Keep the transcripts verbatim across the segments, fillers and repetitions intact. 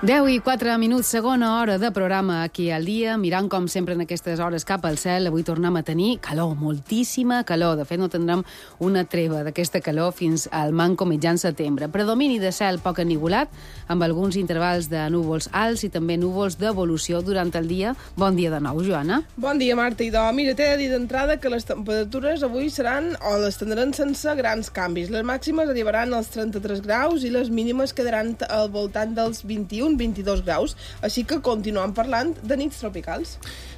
deu i quatre minuts, segona hora de programa aquí al dia, mirant com sempre en aquestes hores cap al cel. Avui tornem a tenir calor, moltíssima calor. De fet, no tindrem una treva d'aquesta calor fins al manco mitjan setembre. Predomini de cel poc ennivolat, amb alguns intervals de núvols alts i també núvols d'evolució durant el dia. Bon dia de nou, Joana. Bon dia, Marta. Idò, mira, t'he de dir d'entrada que les temperatures avui seran o les tindran sense grans canvis. Les màximes arribaran als trenta-tres graus i les mínimes quedaran al voltant dels vint-i-un vint-i-dos graus, així que continuem parlant de nits tropicals.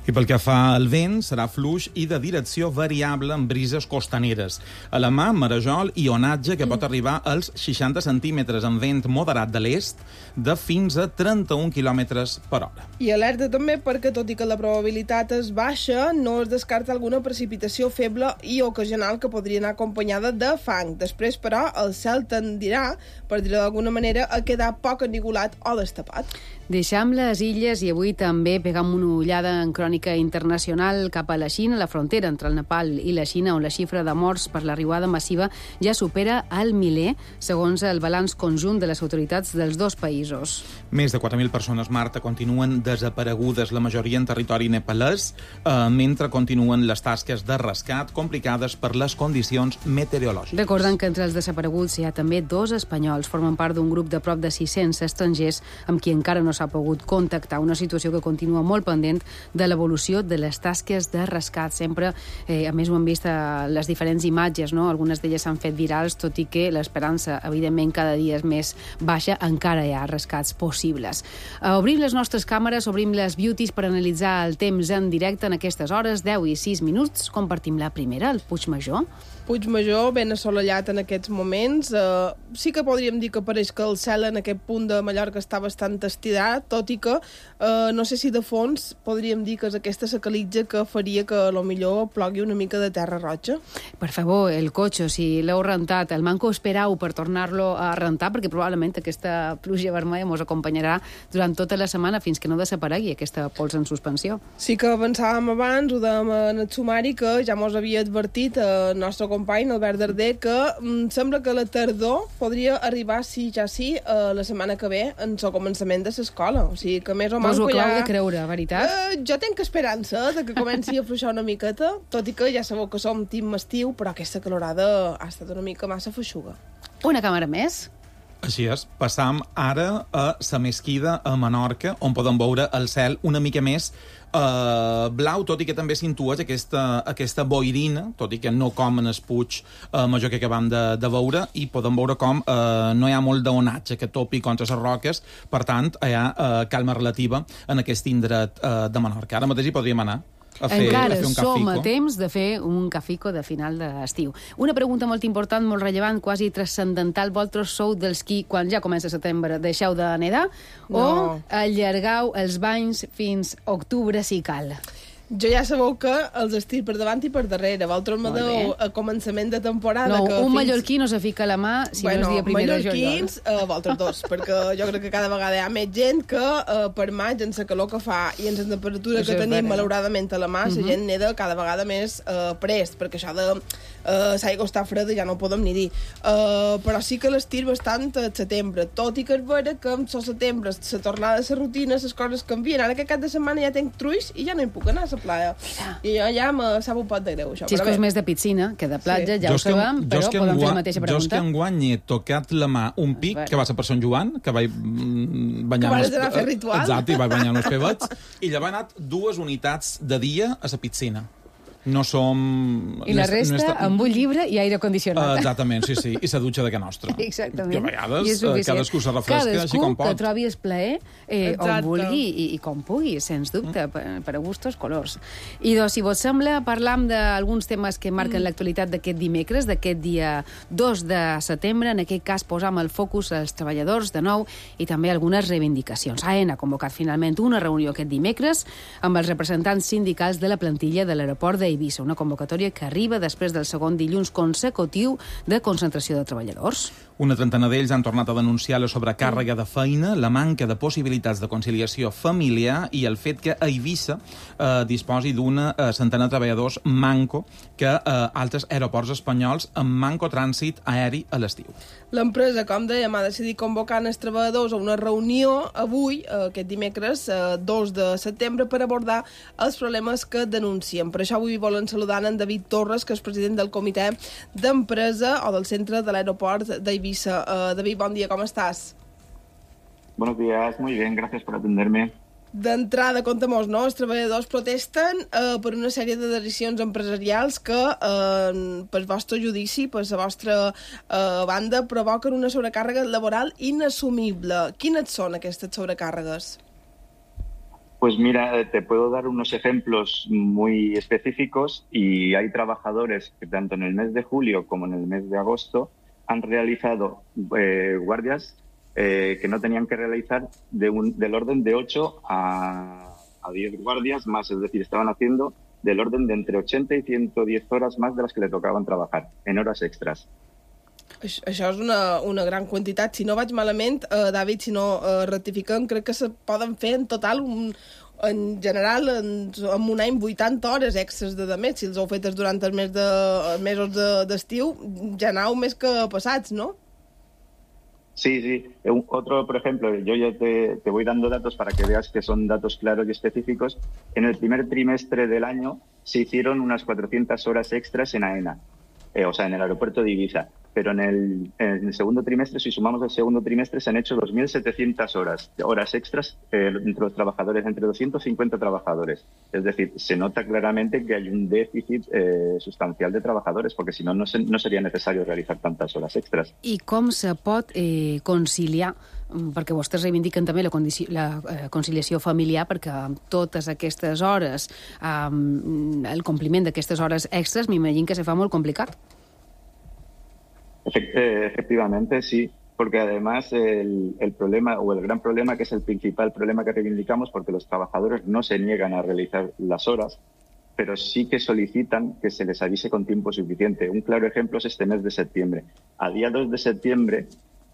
I pel que fa al vent, serà fluix i de direcció variable amb brises costaneres. A la mà, marejol i onatge que mm. pot arribar als seixanta centímetres amb vent moderat de l'est de fins a trenta-un quilòmetres per hora. I alerta també perquè, tot i que la probabilitat és baixa, no es descarta alguna precipitació feble i ocasional que podria anar acompanyada de fang. Després, però, el cel tendirà, per dir-ho d'alguna manera, a quedar poc ennivolat o destapat. Deixam les illes i avui també pegam una ullada en crònica internacional cap a la Xina, la frontera entre el Nepal i la Xina, on la xifra de morts per l'arribada massiva ja supera el miler, segons el balanç conjunt de les autoritats dels dos països. Més de quatre mil persones, Marta, continuen desaparegudes, la majoria en territori nepalès, eh, mentre continuen les tasques de rescat complicades per les condicions meteorològiques. Recordant que entre els desapareguts hi ha també dos espanyols, formen part d'un grup de prop de sis-cents estrangers amb qui encara no s'ha pogut contactar, una situació que continua molt pendent de l'evolució de les tasques de rescat. Sempre, eh, a més ho hem vist a les diferents imatges, no? Algunes d'elles s'han fet virals, tot i que l'esperança, evidentment, cada dia és més baixa, encara hi ha rescats possibles. Uh, obrim les nostres càmeres, obrim les beauties per analitzar el temps en directe en aquestes hores, deu i sis minuts. Compartim la primera, el Puigmajor. Puigmajor, ben assolellat en aquests moments. Uh, sí que podríem dir que pareix que el cel en aquest punt de Mallorca està bastant estirat, tot i que uh, no sé si de fons podríem dir que és aquesta sacalitja que faria que a lo millor plogui una mica de terra roja. Per favor, el cotxe, si l'heu rentat, el manco esperau per tornar-lo a rentar, perquè probablement aquesta pluja vermella ens acompanyarà durant tota la setmana fins que no desaparegui aquesta pols en suspensió. Sí que pensàvem abans, ho dèiem en el sumari, que ja mos havia advertit el nostre company, Albert Darder, que mm, sembla que la tardor podria arribar, sí, ja sí, uh, la setmana que ve, en el començament de l'escola. O sigui, que més o menys... Vos ho aclau ja... de creure, veritat? Uh, jo tenc esperança de que comenci a afluixar una miqueta, tot i que ja sabeu que som team estiu, però aquesta calorada ha estat una mica massa feixuga. Una càmera més. Així és, passam ara a la Mesquida, a Menorca, on podem veure el cel una mica més Uh, blau, tot i que també s'intueix aquesta, aquesta boirina, tot i que no com en el Puig uh, Major que acabam de, de veure, i podem veure com uh, no hi ha molt d'onatge que topi contra les roques, per tant, hi ha uh, calma relativa en aquest indret uh, de Menorca. Ara mateix hi podríem anar a fer, encara a fer un som cafico. a temps de fer un cafico de final d'estiu. Una pregunta molt important, molt rellevant, quasi transcendental. Vosaltres sou dels qui, quan ja comença setembre, deixeu de nedar no. o allargau els banys fins octubre si cal? Jo ja sabeu que els estic per davant i per darrere. Vosaltres me deu a començament de temporada... No, que un fins... mallorquí no se fica la mà si bueno, no és dia primer de juliol. Mallorquins, uh, vosaltres dos, perquè jo crec que cada vegada hi ha més gent que uh, per maig, en la calor que fa i en la temperatura això que tenim, vera. malauradament, a la mà, la uh -huh. gent neda cada vegada més uh, prest, perquè això de uh, l'aigua està freda ja no ho podem ni dir. Uh, però sí que l'estir bastant a setembre, tot i que és vera que en el setembre la tornada a la rutina, les coses canvien. Ara que aquest cap de setmana ja tenc truis i ja no hi puc anar a la playa. Mira. I jo ja me sap un pot de greu, això. Xiscos més de piscina que de platja, sí. ja jo ho sabem, que, però podem fer la mateixa pregunta. Jo és que enguany he tocat la mà un pic, que va ser per Sant Joan, que vaig banyar... Que vas anar a fer ritual. Exacte, i vaig banyar uns pebets, i llavors he anat dues unitats de dia a la piscina. No som... I la resta, no està... amb un llibre i aire condicionat. Uh, exactament, sí, sí. I la dutxa de que nostra. Exactament. Que a vegades cadascú se refresca cadascú així com pot. Cadascú que trobi el plaer eh, on vulgui i, i com pugui, sens dubte, mm. per, per a gustos colors. I doncs, si vos sembla, parlam d'alguns temes que marquen mm. l'actualitat d'aquest dimecres, d'aquest dia dos de setembre. En aquest cas posam el focus als treballadors de nou i també algunes reivindicacions. AENA ha convocat finalment una reunió aquest dimecres amb els representants sindicals de la plantilla de l'aeroport de Eivissa, una convocatòria que arriba després del segon dilluns consecutiu de concentració de treballadors. Una trentena d'ells han tornat a denunciar la sobrecàrrega de feina, la manca de possibilitats de conciliació familiar i el fet que Eivissa eh, disposi d'una eh, centena de treballadors manco que eh, altres aeroports espanyols amb manco trànsit aeri a l'estiu. L'empresa, com dèiem, ha decidit convocar els treballadors a una reunió avui, eh, aquest dimecres, eh, dos de setembre, per abordar els problemes que denuncien. Per això avui volen saludar en David Torres, que és president del comitè d'empresa o del centre de l'aeroport d'Eivissa. Uh, David, bon dia, ¿cómo estás? Buenos días, muy bien, gracias por atenderme. D'entrada, conta'm-nos, no? Els treballadors protesten eh, per una sèrie de decisions empresarials que, eh, pel vostre judici, per la vostra eh, banda, provoquen una sobrecàrrega laboral inassumible. Quines són aquestes sobrecàrregues? Pues mira, te puedo dar unos ejemplos muy específicos y hay trabajadores que tanto en el mes de julio como en el mes de agosto han realizado eh, guardias eh, que no tenían que realizar de un, del orden de ocho a, a diez guardias más, es decir, estaban haciendo del orden de entre ochenta y ciento diez horas más de las que le tocaban trabajar, en horas extras. Això és una, una gran quantitat. Si no vaig malament, eh, David, si no eh, rectifiquem, crec que se poden fer en total un, en general, en, en un any, vuitanta hores extras de mes. Si els heu fetes durant els, mes de, els mesos d'estiu, de, ja aneu més que passats, ¿no? Sí, sí. Un, otro, por ejemplo, yo ya te, te voy dando datos para que veas que son datos claros y específicos. En el primer trimestre del año se hicieron unas cuatrocientas horas extras en AENA, eh, o sea, en el aeropuerto de Ibiza. Pero en el, en el segundo trimestre, si sumamos el segundo trimestre, se han hecho dos mil setecientas horas, horas extras eh, entre los trabajadores, entre doscientos cincuenta trabajadores. Es decir, se nota claramente que hay un déficit eh, sustancial de trabajadores, porque si no, no, se, no sería necesario realizar tantas horas extras. I com se pot eh, conciliar, perquè vostès reivindiquen també la, condici la eh, conciliació familiar, perquè amb totes aquestes hores, eh, el compliment d'aquestes hores extras, m'imagino que se fa molt complicat. Efectivamente, sí, porque además el, el problema o el gran problema, que es el principal problema que reivindicamos, porque los trabajadores no se niegan a realizar las horas, pero sí que solicitan que se les avise con tiempo suficiente. Un claro ejemplo es este mes de septiembre. A día dos de septiembre,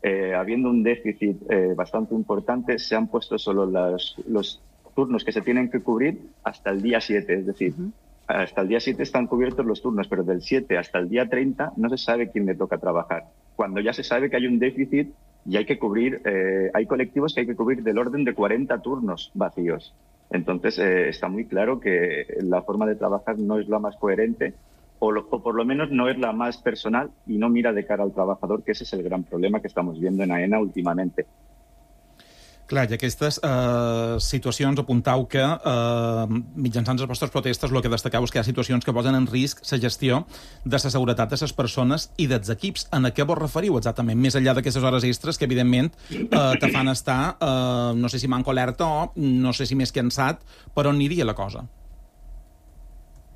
eh, habiendo un déficit eh, bastante importante, se han puesto solo las, los turnos que se tienen que cubrir hasta el día siete, es decir, uh-huh. Hasta el día siete están cubiertos los turnos, pero del siete hasta el día treinta no se sabe quién le toca trabajar. Cuando ya se sabe que hay un déficit y hay que cubrir, eh, hay colectivos que hay que cubrir del orden de cuarenta turnos vacíos. Entonces eh, está muy claro que la forma de trabajar no es la más coherente o, lo, o por lo menos no es la más personal y no mira de cara al trabajador, que ese es el gran problema que estamos viendo en AENA últimamente. Clar, i aquestes eh, situacions apuntau que eh, mitjançant les vostres protestes el que destacau és que hi ha situacions que posen en risc la gestió de la seguretat de les persones i dels equips. En a què vos referiu exactament? Més enllà d'aquestes hores extres que, evidentment, eh, te fan estar, eh, no sé si manco alerta o no sé si més cansat, per on aniria la cosa?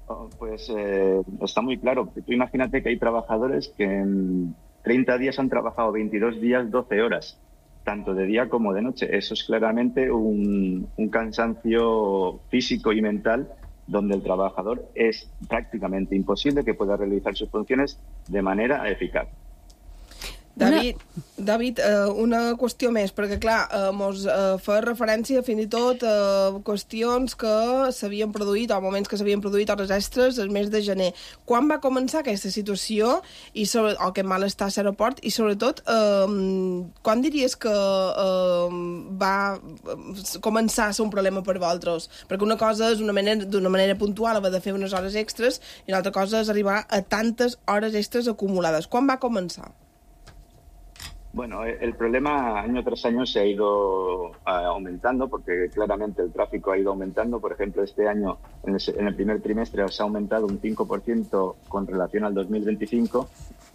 Oh, pues eh, está muy claro. Tú imagínate que hay trabajadores que en treinta días han trabajado veintidós días, doce horas. Tanto de día como de noche. Eso es claramente un, un cansancio físico y mental donde el trabajador es prácticamente imposible que pueda realizar sus funciones de manera eficaz. David, David eh, una qüestió més, perquè clar, eh, mos eh, fa referència fins i tot a eh, qüestions que s'havien produït, o moments que s'havien produït hores extres el mes de gener. Quan va començar aquesta situació, i sobre, o aquest malestar a l'aeroport, i sobretot, eh, quan diries que eh, va començar a ser un problema per vosaltres? Perquè una cosa és d'una manera, d'una manera puntual haver de fer unes hores extres, i una altra cosa és arribar a tantes hores extres acumulades. Quan va començar? Bueno, el problema año tras año se ha ido uh, aumentando porque claramente el tráfico ha ido aumentando. Por ejemplo, este año, en el, en el primer trimestre, se ha aumentado un cinco por ciento con relación al dos mil veinticinco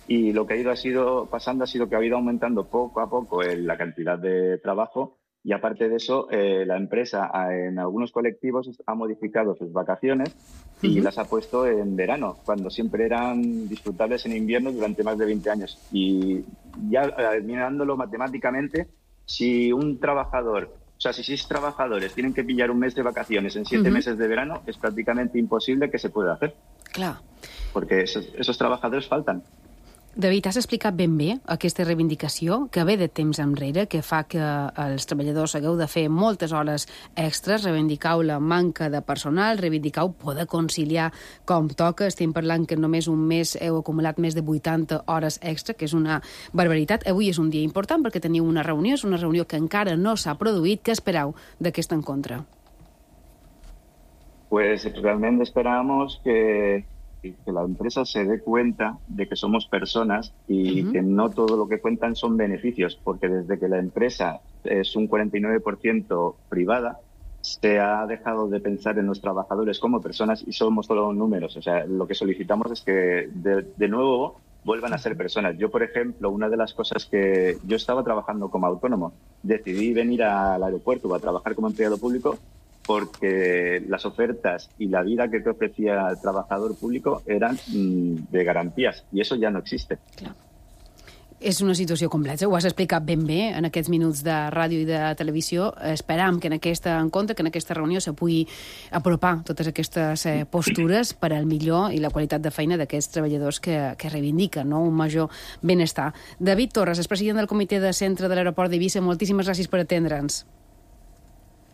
y lo que ha ido, ha sido pasando ha sido que ha ido aumentando poco a poco el, la cantidad de trabajo y aparte de eso, eh, la empresa en algunos colectivos ha modificado sus vacaciones y uh-huh. las ha puesto en verano, cuando siempre eran disfrutables en invierno durante más de veinte años. Y ya eh, mirándolo matemáticamente, si un trabajador, o sea, si seis trabajadores tienen que pillar un mes de vacaciones en siete uh-huh. meses de verano, es prácticamente imposible que se pueda hacer. Claro. Porque esos, esos trabajadores faltan. David, has explicat ben bé aquesta reivindicació que ve de temps enrere, que fa que els treballadors hagueu de fer moltes hores extres, reivindicau la manca de personal, reivindicau poder conciliar com toca. Estem parlant que només un mes heu acumulat més de vuitanta hores extra, que és una barbaritat. Avui és un dia important perquè teniu una reunió, és una reunió que encara no s'ha produït. Què esperau d'aquest encontre? Pues realmente esperamos que... que la empresa se dé cuenta de que somos personas y uh-huh. que no todo lo que cuentan son beneficios, porque desde que la empresa es un cuarenta y nueve por ciento privada, se ha dejado de pensar en los trabajadores como personas y somos solo números. O sea, lo que solicitamos es que de, de nuevo vuelvan a ser personas. Yo, por ejemplo, una de las cosas que yo estaba trabajando como autónomo, decidí venir al aeropuerto a trabajar como empleado público porque las ofertas y la vida que te ofrecía el trabajador público eran mmm, de garantías, i això ja no existe. Clar. És una situació complexa, ho has explicat ben bé en aquests minuts de ràdio i de televisió. Esperam que en aquest encontre, que en aquesta reunió se pugui apropar totes aquestes eh, postures per al millor i la qualitat de feina d'aquests treballadors que, que reivindiquen, no?, un major benestar. David Torres, és president del comitè de centre de l'aeroport d'Eivissa. Moltíssimes gràcies per atendre'ns.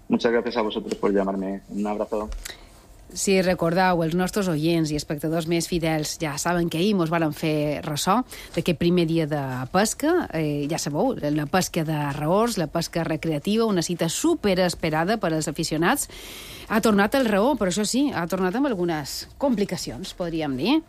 Muchas gracias a vosotros por llamarme. Un abrazo. Si recordeu, els nostres oients i espectadors més fidels ja saben que ahir mos varen fer ressò d'aquest primer dia de pesca. Eh, ja sabeu, la pesca de raors, la pesca recreativa, una cita superesperada per als aficionats. Ha tornat el raor, però això sí, ha tornat amb algunes complicacions, podríem dir.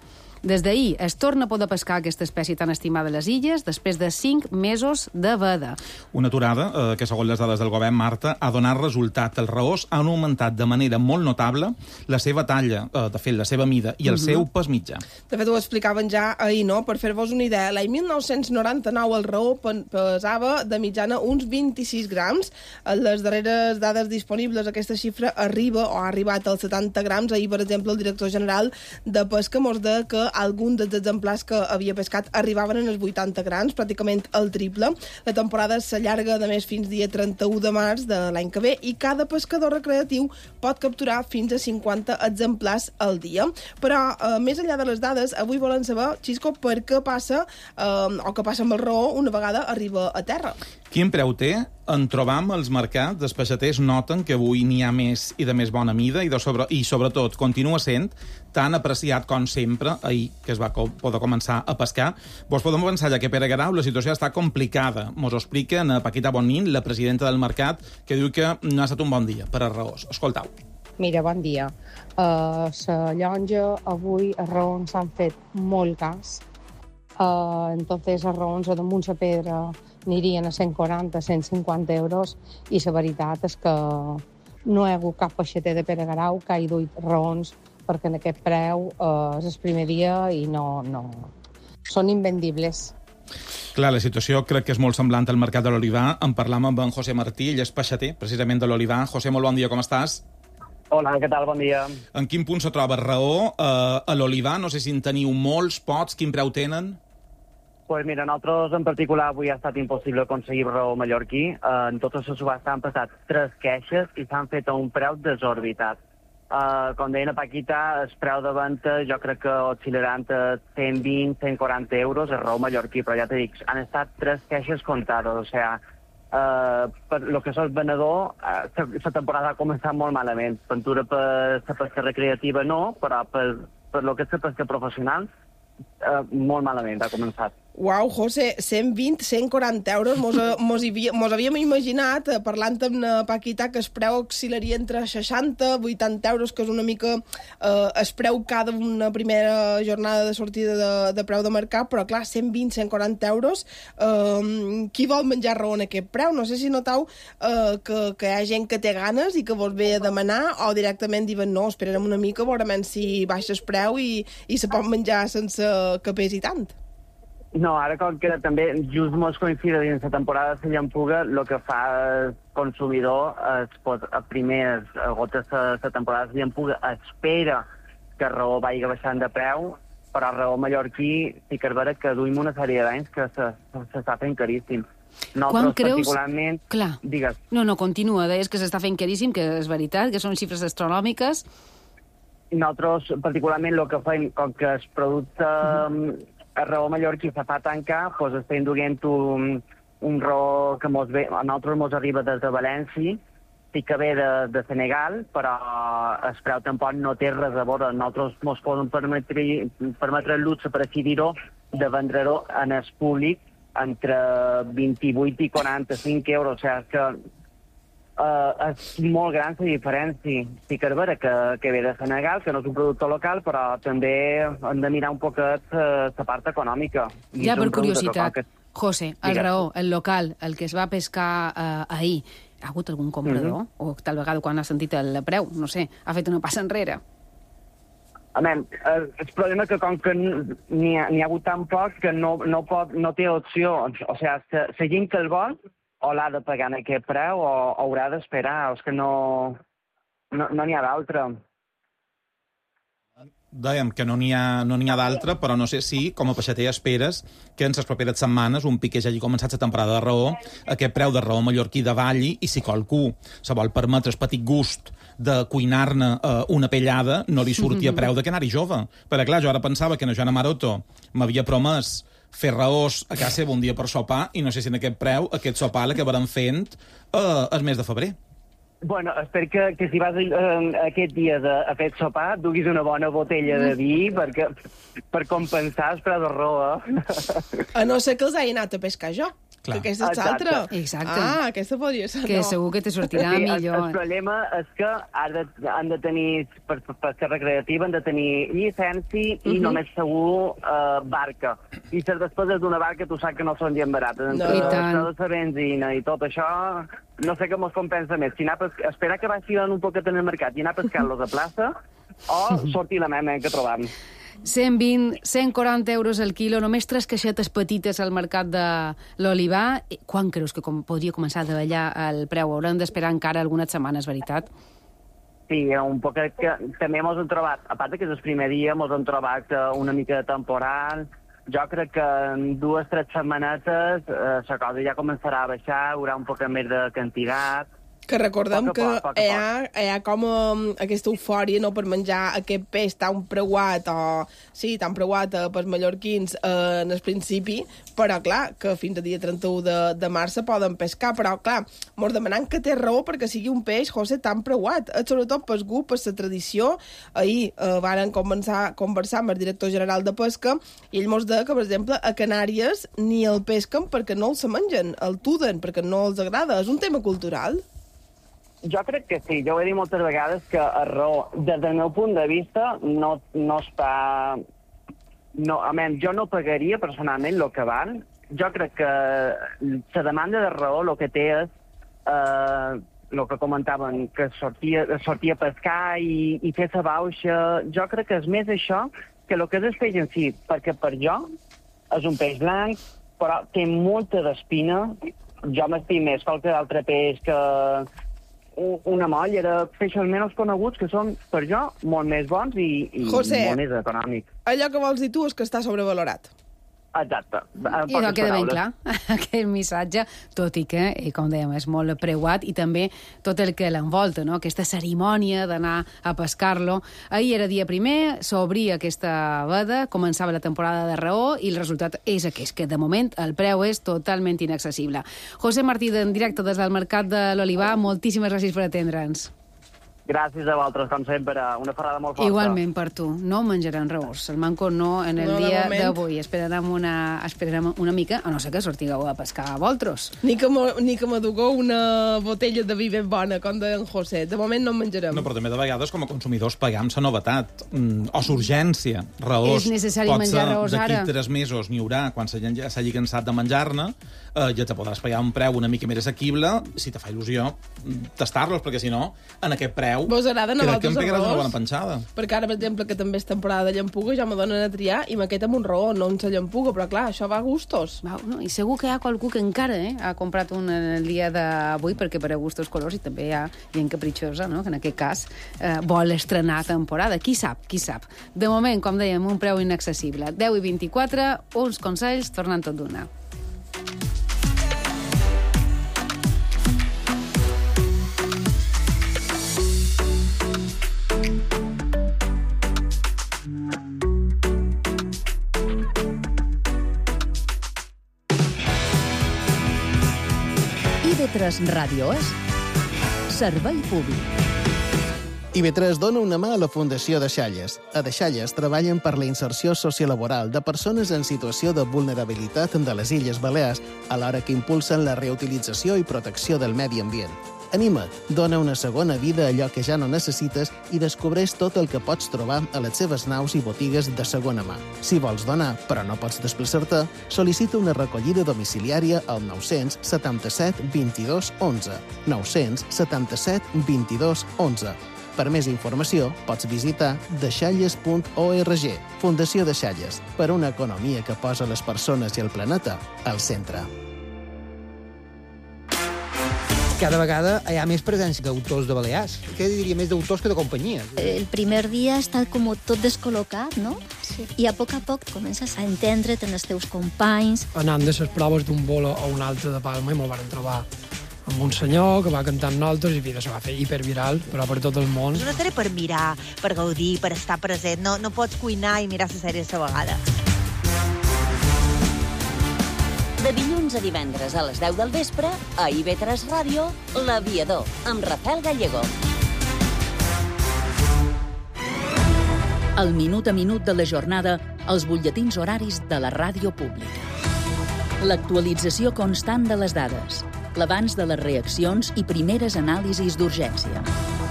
Des d'ahir es torna a poder pescar aquesta espècie tan estimada a les illes després de cinc mesos de veda. Una aturada eh, que, segons les dades del govern, Marta, ha donat resultat. Els raors han augmentat de manera molt notable la seva talla, eh, de fet, la seva mida, i el uh-huh. seu pes mitjà. De fet, ho explicaven ja ahir, no? Per fer-vos una idea, l'any mil nou-cents noranta-nou el raor pesava de mitjana uns vint-i-sis grams. En les darreres dades disponibles aquesta xifra arriba o ha arribat als setanta grams. Ahir, per exemple, el director general de Pesca mos deia que alguns dels exemplars que havia pescat arribaven en els vuitanta grams, pràcticament el triple. La temporada s'allarga, de més, fins dia trenta-u de març de l'any que ve i cada pescador recreatiu pot capturar fins a cinquanta exemplars al dia. Però, eh, més enllà de les dades, avui volen saber, Xisco, per què passa, eh, o què passa amb el raor una vegada arriba a terra. Quin preu té? En trobam als mercats. Els peixaters noten que avui n'hi ha més i de més bona mida i, de sobre, i sobretot, continua sent tan apreciat com sempre, ahir que es va co poder començar a pescar. Vos podem pensar ja que per a Garau la situació està complicada. Mos ho explica en Paquita Bonin, la presidenta del mercat, que diu que no ha estat un bon dia per a raors. Escoltau. Mira, bon dia. Uh, la llonja, avui, els raons s'han fet molt cas. Uh, entonces, els raons a damunt la pedra anirien a cent quaranta, cent cinquanta euros i la veritat és que no hi ha hagut cap peixater de Pere Garau que hagi duit raons perquè en aquest preu eh, és el primer dia i no, no... són invendibles. Clar, la situació crec que és molt semblant al mercat de l'olivar. En parlam amb en José Martí, ell és peixater, precisament de l'olivar. José, molt bon dia, com estàs? Hola, què tal? Bon dia. En quin punt se troba raó eh, a l'olivar? No sé si en teniu molts, pocs, quin preu tenen? Pues mira, nosaltres en particular avui ha estat impossible aconseguir raó mallorquí. Uh, en tota la subhasta han passat tres queixes i s'han fet a un preu desorbitat. Uh, com deia la Paquita, el preu de venda jo crec que oscil·larà entre cent vint, cent quaranta euros el raó mallorquí, però ja t'he dit, han estat tres queixes comptades, o sigui, uh, per lo que és el venedor, uh, la temporada ha començat molt malament. Ventura per la pesca recreativa no, però per, per lo que és la pesca professional, uh, molt malament ha començat. Uau, José, cent vint, cent quaranta euros. Mos, mos, havia, mos havíem imaginat, eh, parlant amb la Paquita, que el preu oscil·laria entre seixanta, vuitanta euros, que és una mica eh, el preu cada una primera jornada de sortida de, de preu de mercat, però clar, cent vint, cent quaranta euros. Eh, qui vol menjar raó en aquest preu? No sé si notau eh, que, que hi ha gent que té ganes i que vos ve a demanar, o directament diuen no, esperarem una mica, veurem si baixa el preu i, i se pot menjar sense que pesi tant. No, ara com que també just mos coincide dins la temporada de la llampuga, el que fa el consumidor és, pues, a primers gotes de la temporada de la llampuga espera que el raó vagi baixant de preu, però el raó mallorquí sí que és vera que duim una sèrie d'anys que s'està fent caríssim. Nosaltres, quan creus... particularment... Clar. Digues. No, no, continua. Deies que s'està fent caríssim, que és veritat, que són xifres astronòmiques. Nosaltres, particularment, el que fem, com que el producte... Uh-huh. el raó mallorquí se fa tancar, doncs estem duent un, un raó que mos ve, a nosaltres mos arriba des de València, sí que ve de, de Senegal, però el preu tampoc no té res a veure. Nosaltres mos podem permetre, permetre el luxe, per així dir-ho, de vendre-ho en el públic entre vint-i-vuit i quaranta-cinc euros. O sigui que uh, és molt gran la diferència. Sí que és vera que, que ve de Senegal, que no és un producte local, però també hem de mirar un poquet uh, la part econòmica. I ja, per curiositat, que... José, el raó, el local, el que es va pescar uh, ahir, ha hagut algun comprador? Mm-hmm. O tal vegada quan ha sentit el preu, no sé, ha fet una passa enrere? A men, el, el problema és que com que n'hi ha, ha hagut tan poc que no, no, pot, no té opció. O sigui, la, la gent que el vol o l'ha de pagar en aquest preu o, o haurà d'esperar. És que no no n'hi no ha d'altra. Dèiem que no n'hi ha, no n'hi ha d'altra, però no sé si, com a peixater, esperes que en les properes setmanes, un pic que ja hagi començat la temporada de raó, aquest preu de raó mallorquí davalli, i si qualcú se vol permetre el petit gust de cuinar-ne eh, una pellada, no li surti a preu de que anar-hi jove. Perquè, clar, jo ara pensava que en Joana Maroto m'havia promès fer raós a casa seva un dia per sopar, i no sé si en aquest preu, aquest sopar l'acabarem fent eh, el mes de febrer. Bueno, espero que, que si vas eh, aquest dia de, a fer sopar duguis una bona botella de vi perquè, per compensar el preu de raó. Eh? A no ser que els hagi anat a pescar jo. Clar. Que aquesta és l'altra. Exacte. Ah, aquesta podria ser. Que no. segur que te sortirà sí, millor. El, el problema és que han de, han de tenir, per, per ser recreativa, han de tenir llicència i uh-huh. només segur uh, barca. I les despeses d'una barca tu saps que no són gens barates. No. Entre això de la benzina i tot això, no sé què mos compensa més. Si anar a pescar, esperar que vagi un poquet en el mercat i anar a pescar-los a plaça o sortir la mema que trobam. cent vint, cent quaranta euros al quilo, només tres caixetes petites al mercat de l'olivar. Quan creus que com podria començar a davallar el preu? Haurem d'esperar encara algunes setmanes, veritat? Sí, un poquet que també mos hem trobat, a part que és el primer dia, mos hem trobat una mica de temporal. Jo crec que en dues o tres setmanetes eh, la cosa ja començarà a baixar, hi haurà un poc més de quantitat. Que recordem poc a poc, poc que a hi ha, hi ha com um, aquesta eufòria no, per menjar aquest peix tan preuat o sí, tan preuat eh, pels mallorquins eh, en el principi, però clar, que fins al dia trenta-u de, de març se poden pescar, però clar, mos demanem que té raó perquè sigui un peix, José, tan preuat, eh, sobretot pel gust, per la tradició. Ahir eh, varen conversar, conversar amb el director general de pesca i ell mos deia que, per exemple, a Canàries ni el pesquen perquè no el se mengen, el tuden perquè no els agrada. És un tema cultural? Jo crec que sí, jo ho he dit moltes vegades que el raó, des del meu punt de vista, no, no està... No, a menys, jo no pagaria personalment el que val. Jo crec que la demanda de raó el que té és eh, el que comentaven, que sortia, sortia a pescar i, i fer la bauxa. Jo crec que és més això que el que és el peix en si, perquè per jo és un peix blanc, però té molta d'espina. Jo m'estim més qualque altre peix que... una molla de peixos menys coneguts que són, per jo, molt més bons i, i José, molt més econòmics. Allò que vols dir tu és que està sobrevalorat. Exacte. I no queda ben clar, aquell missatge, tot i que, i com dèiem, és molt preuat, i també tot el que l'envolta, no? Aquesta cerimònia d'anar a pescar-lo. Ahir era dia primer, s'obria aquesta veda, començava la temporada de raó, i el resultat és aquest, que de moment el preu és totalment inaccessible. José Martí, en directe des del Mercat de l'Olivar, moltíssimes gràcies per atendre'ns. Gràcies a vosaltres, com sempre. Una ferrada molt forta. Igualment per tu. No menjaran raós. El manco no en el no, dia de d'avui. Esperarem una, esperarem una mica, a no ser que sortigueu a pescar a vosaltres. Ni que m'adugueu una botella de vi ben bona, com deia en José. De moment no en menjarem. No, però també de vegades, com a consumidors, paguem la novetat. Mm, o l'urgència. Raós. És necessari menjar raós ara. D'aquí tres mesos n'hi haurà, quan s'hagi cansat de menjar-ne, eh, ja te podràs pagar un preu una mica més assequible, si te fa il·lusió tastar-los, perquè si no, en aquest preu vos agraden a vosaltres el raós? Una bona penjada. Perquè ara, per exemple, que també és temporada de llampuga, ja me donen a triar i m'aquest amb un raó, no en la llampuga, però clar, això va a gustos. Va, no, i segur que hi ha qualcú que encara eh, ha comprat un el dia d'avui, perquè per a gustos colors, i també hi ha gent capritxosa, no?, que en aquest cas eh, vol estrenar temporada. Qui sap, qui sap. De moment, com dèiem, un preu inaccessible. deu i vint-i-quatre, uns consells, tornant tot d'una. tres Ràdio és servei públic. I B tres dona una mà a la Fundació Deixalles. A Deixalles treballen per la inserció sociolaboral de persones en situació de vulnerabilitat de les Illes Balears, alhora que impulsen la reutilització i protecció del medi ambient. Anima't, dona una segona vida a allò que ja no necessites i descobreix tot el que pots trobar a les seves naus i botigues de segona mà. Si vols donar, però no pots desplaçar-te, sol·licita una recollida domiciliària al nou-cents setanta-set vint-i-dos onze. nou-cents setanta-set vint-i-dos onze. Per més informació, pots visitar deixalles punt org. Fundació Deixalles, per una economia que posa les persones i el planeta al centre. Cada vegada hi ha més presència d'autors de Balears. Què diria, més d'autors que de companyies? El primer dia està com tot descol·locat, no? Sí. I a poc a poc comences a entendre't en els teus companys. Anant de les proves d'un bolo a un altre de Palma i me'l van trobar amb un senyor que va cantar amb nosaltres i mira, se va fer hiperviral, però per tot el món. És una sèrie per mirar, per gaudir, per estar present. No, no pots cuinar i mirar la sèrie a la vegada. De dilluns a divendres a les deu del vespre, a I B tres Ràdio, L'Aviador, amb Rafael Gallego. El minut a minut de la jornada, els butlletins horaris de la ràdio pública. L'actualització constant de les dades, l'abans de les reaccions i primeres anàlisis d'urgència.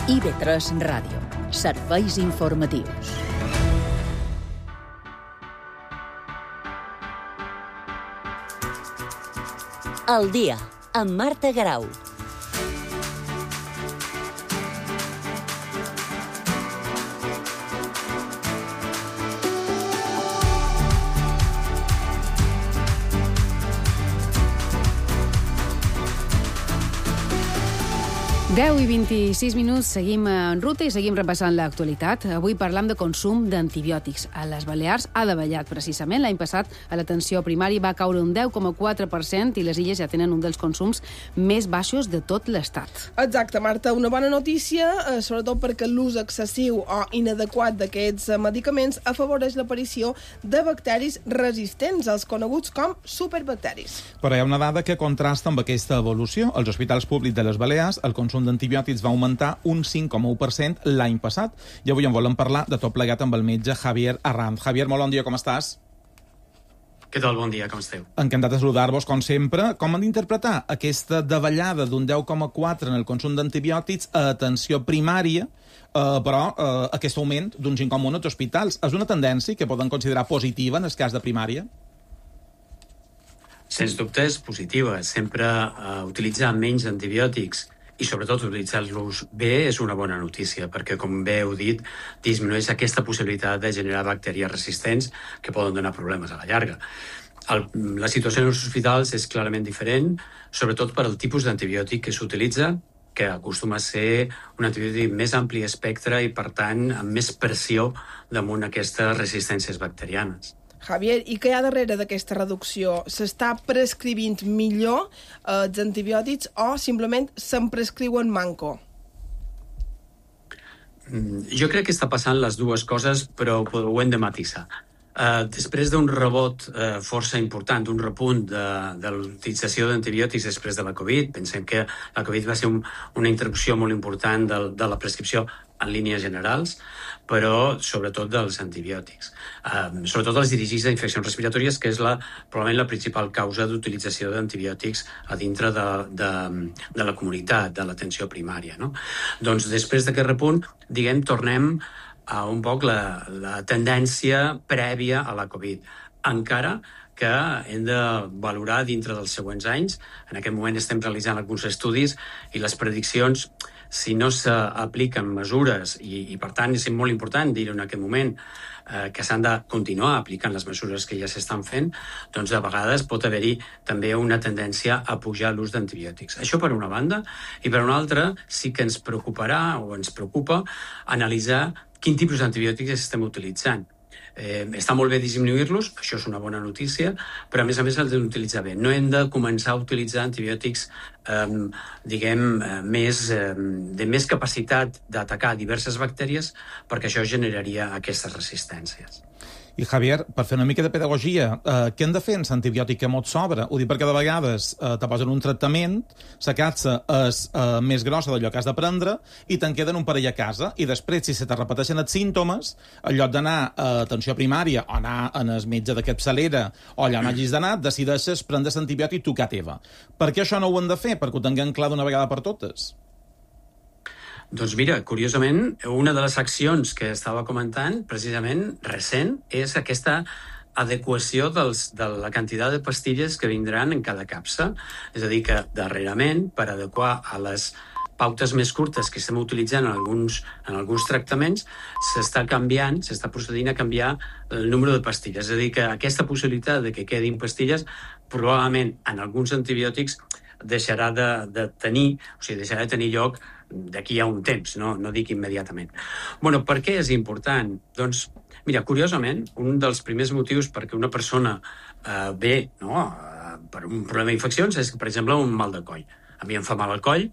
I B tres Ràdio. Serveis informatius. El dia, amb Marta Garau. deu i vint-i-sis minuts, seguim en ruta i seguim repassant l'actualitat. Avui parlam de consum d'antibiòtics. A les Balears ha davallat precisament. L'any passat a l'atenció primària va caure un deu coma quatre per cent i les illes ja tenen un dels consums més baixos de tot l'estat. Exacte, Marta. Una bona notícia, eh, sobretot perquè l'ús excessiu o inadequat d'aquests medicaments afavoreix l'aparició de bacteris resistents, els coneguts com superbacteris. Però hi ha una dada que contrasta amb aquesta evolució. Als hospitals públics de les Balears, el consum d'antibiòtics va augmentar un cinc coma u per cent l'any passat. I avui en volem parlar de tot plegat amb el metge Javier Arranz. Javier, molt bon dia, com estàs? Què tal? Bon dia, com esteu? Encantat de saludar-vos, com sempre. Com han d'interpretar aquesta davallada d'un deu coma quatre en el consum d'antibiòtics a atenció primària, eh, però eh, aquest augment d'un cinc coma u als hospitals? És una tendència que poden considerar positiva en el cas de primària? Sens dubte és positiva. Sempre eh, utilitzar menys antibiòtics i sobretot utilitzar-los bé és una bona notícia, perquè, com bé heu dit, disminueix aquesta possibilitat de generar bacteris resistents que poden donar problemes a la llarga. El, la situació en els hospitals és clarament diferent, sobretot per al tipus d'antibiòtic que s'utilitza, que acostuma a ser un antibiòtic més ampli espectre i, per tant, amb més pressió damunt aquestes resistències bacterianes. Javier, i què hi ha darrere d'aquesta reducció? S'està prescrivint millor eh, els antibiòtics o simplement se'n prescriuen manco? Jo crec que està passant les dues coses, però ho hem de matisar. Uh, després d'un rebot uh, força important, d'un repunt de, de l'utilització d'antibiòtics després de la Covid, pensem que la Covid va ser un, una interrupció molt important de, de la prescripció en línies generals, però sobretot dels antibiòtics. Uh, sobretot els dirigits a infeccions respiratòries, que és la, probablement la principal causa d'utilització d'antibiòtics a dintre de, de, de la comunitat, de l'atenció primària, no? Doncs després d'aquest repunt, diguem, tornem a un poc la, la tendència prèvia a la Covid. Encara que hem de valorar dintre dels següents anys. En aquest moment estem realitzant alguns estudis i les prediccions, si no s'apliquen mesures, i, i per tant és molt important dir-ho en aquest moment, eh, que s'han de continuar aplicant les mesures que ja s'estan fent, doncs a vegades pot haver-hi també una tendència a pujar l'ús d'antibiòtics. Això per una banda, i per una altra sí que ens preocuparà o ens preocupa analitzar quin tipus d'antibiòtics estem utilitzant. Eh, està molt bé disminuir-los, això és una bona notícia, però a més a més els hem d'utilitzar bé. No hem de començar a utilitzar antibiòtics eh, diguem, eh, més, eh, de més capacitat d'atacar diverses bactèries, perquè això generaria aquestes resistències. I, Javier, per fer una mica de pedagogia, eh, què hem de fer amb l'antibiòtic que mos sobra? Ho dic perquè de vegades eh, te posen un tractament, la capsa és eh, més grossa d'allò que has de prendre i te'n queden un parell a casa. I després, si se te repeteixen els símptomes, en lloc d'anar a atenció primària o anar en el metge de capçalera o allà on hagis d'anar, decideixes prendre l'antibiòtic tu que teva. Per què això no ho hem de fer? Perquè ho tinguem clar d'una vegada per totes? Doncs mira, curiosament, una de les accions que estava comentant, precisament, recent, és aquesta adequació dels, de la quantitat de pastilles que vindran en cada capsa. És a dir, que darrerament, per adequar a les pautes més curtes que estem utilitzant en alguns, en alguns tractaments, s'està canviant, s'està procedint a canviar el número de pastilles. És a dir, que aquesta possibilitat de que quedin pastilles, probablement en alguns antibiòtics deixarà de, de tenir, o sigui, deixarà de tenir lloc d'aquí a un temps, no, no dic immediatament. Bueno, per què és important? Doncs, mira, curiosament, un dels primers motius perquè una persona eh, ve no, eh, per un problema d'infeccions és, per exemple, un mal de coll. A mi em fa mal al coll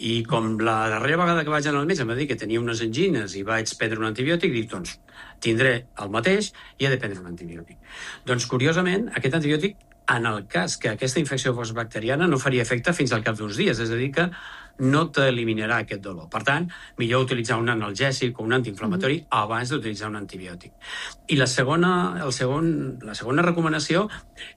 i com la darrera vegada que vaig anar al metge em va dir que tenia unes angines i vaig prendre un antibiòtic, dic, doncs, tindré el mateix i he de prendre un antibiòtic. Doncs, curiosament, aquest antibiòtic, en el cas que aquesta infecció fos bacteriana, no faria efecte fins al cap d'uns dies, és a dir, que no t'eliminarà aquest dolor. Per tant, millor utilitzar un analgèsic o un antiinflamatori mm-hmm. abans d'utilitzar un antibiòtic. I la segona, el segon, la segona recomanació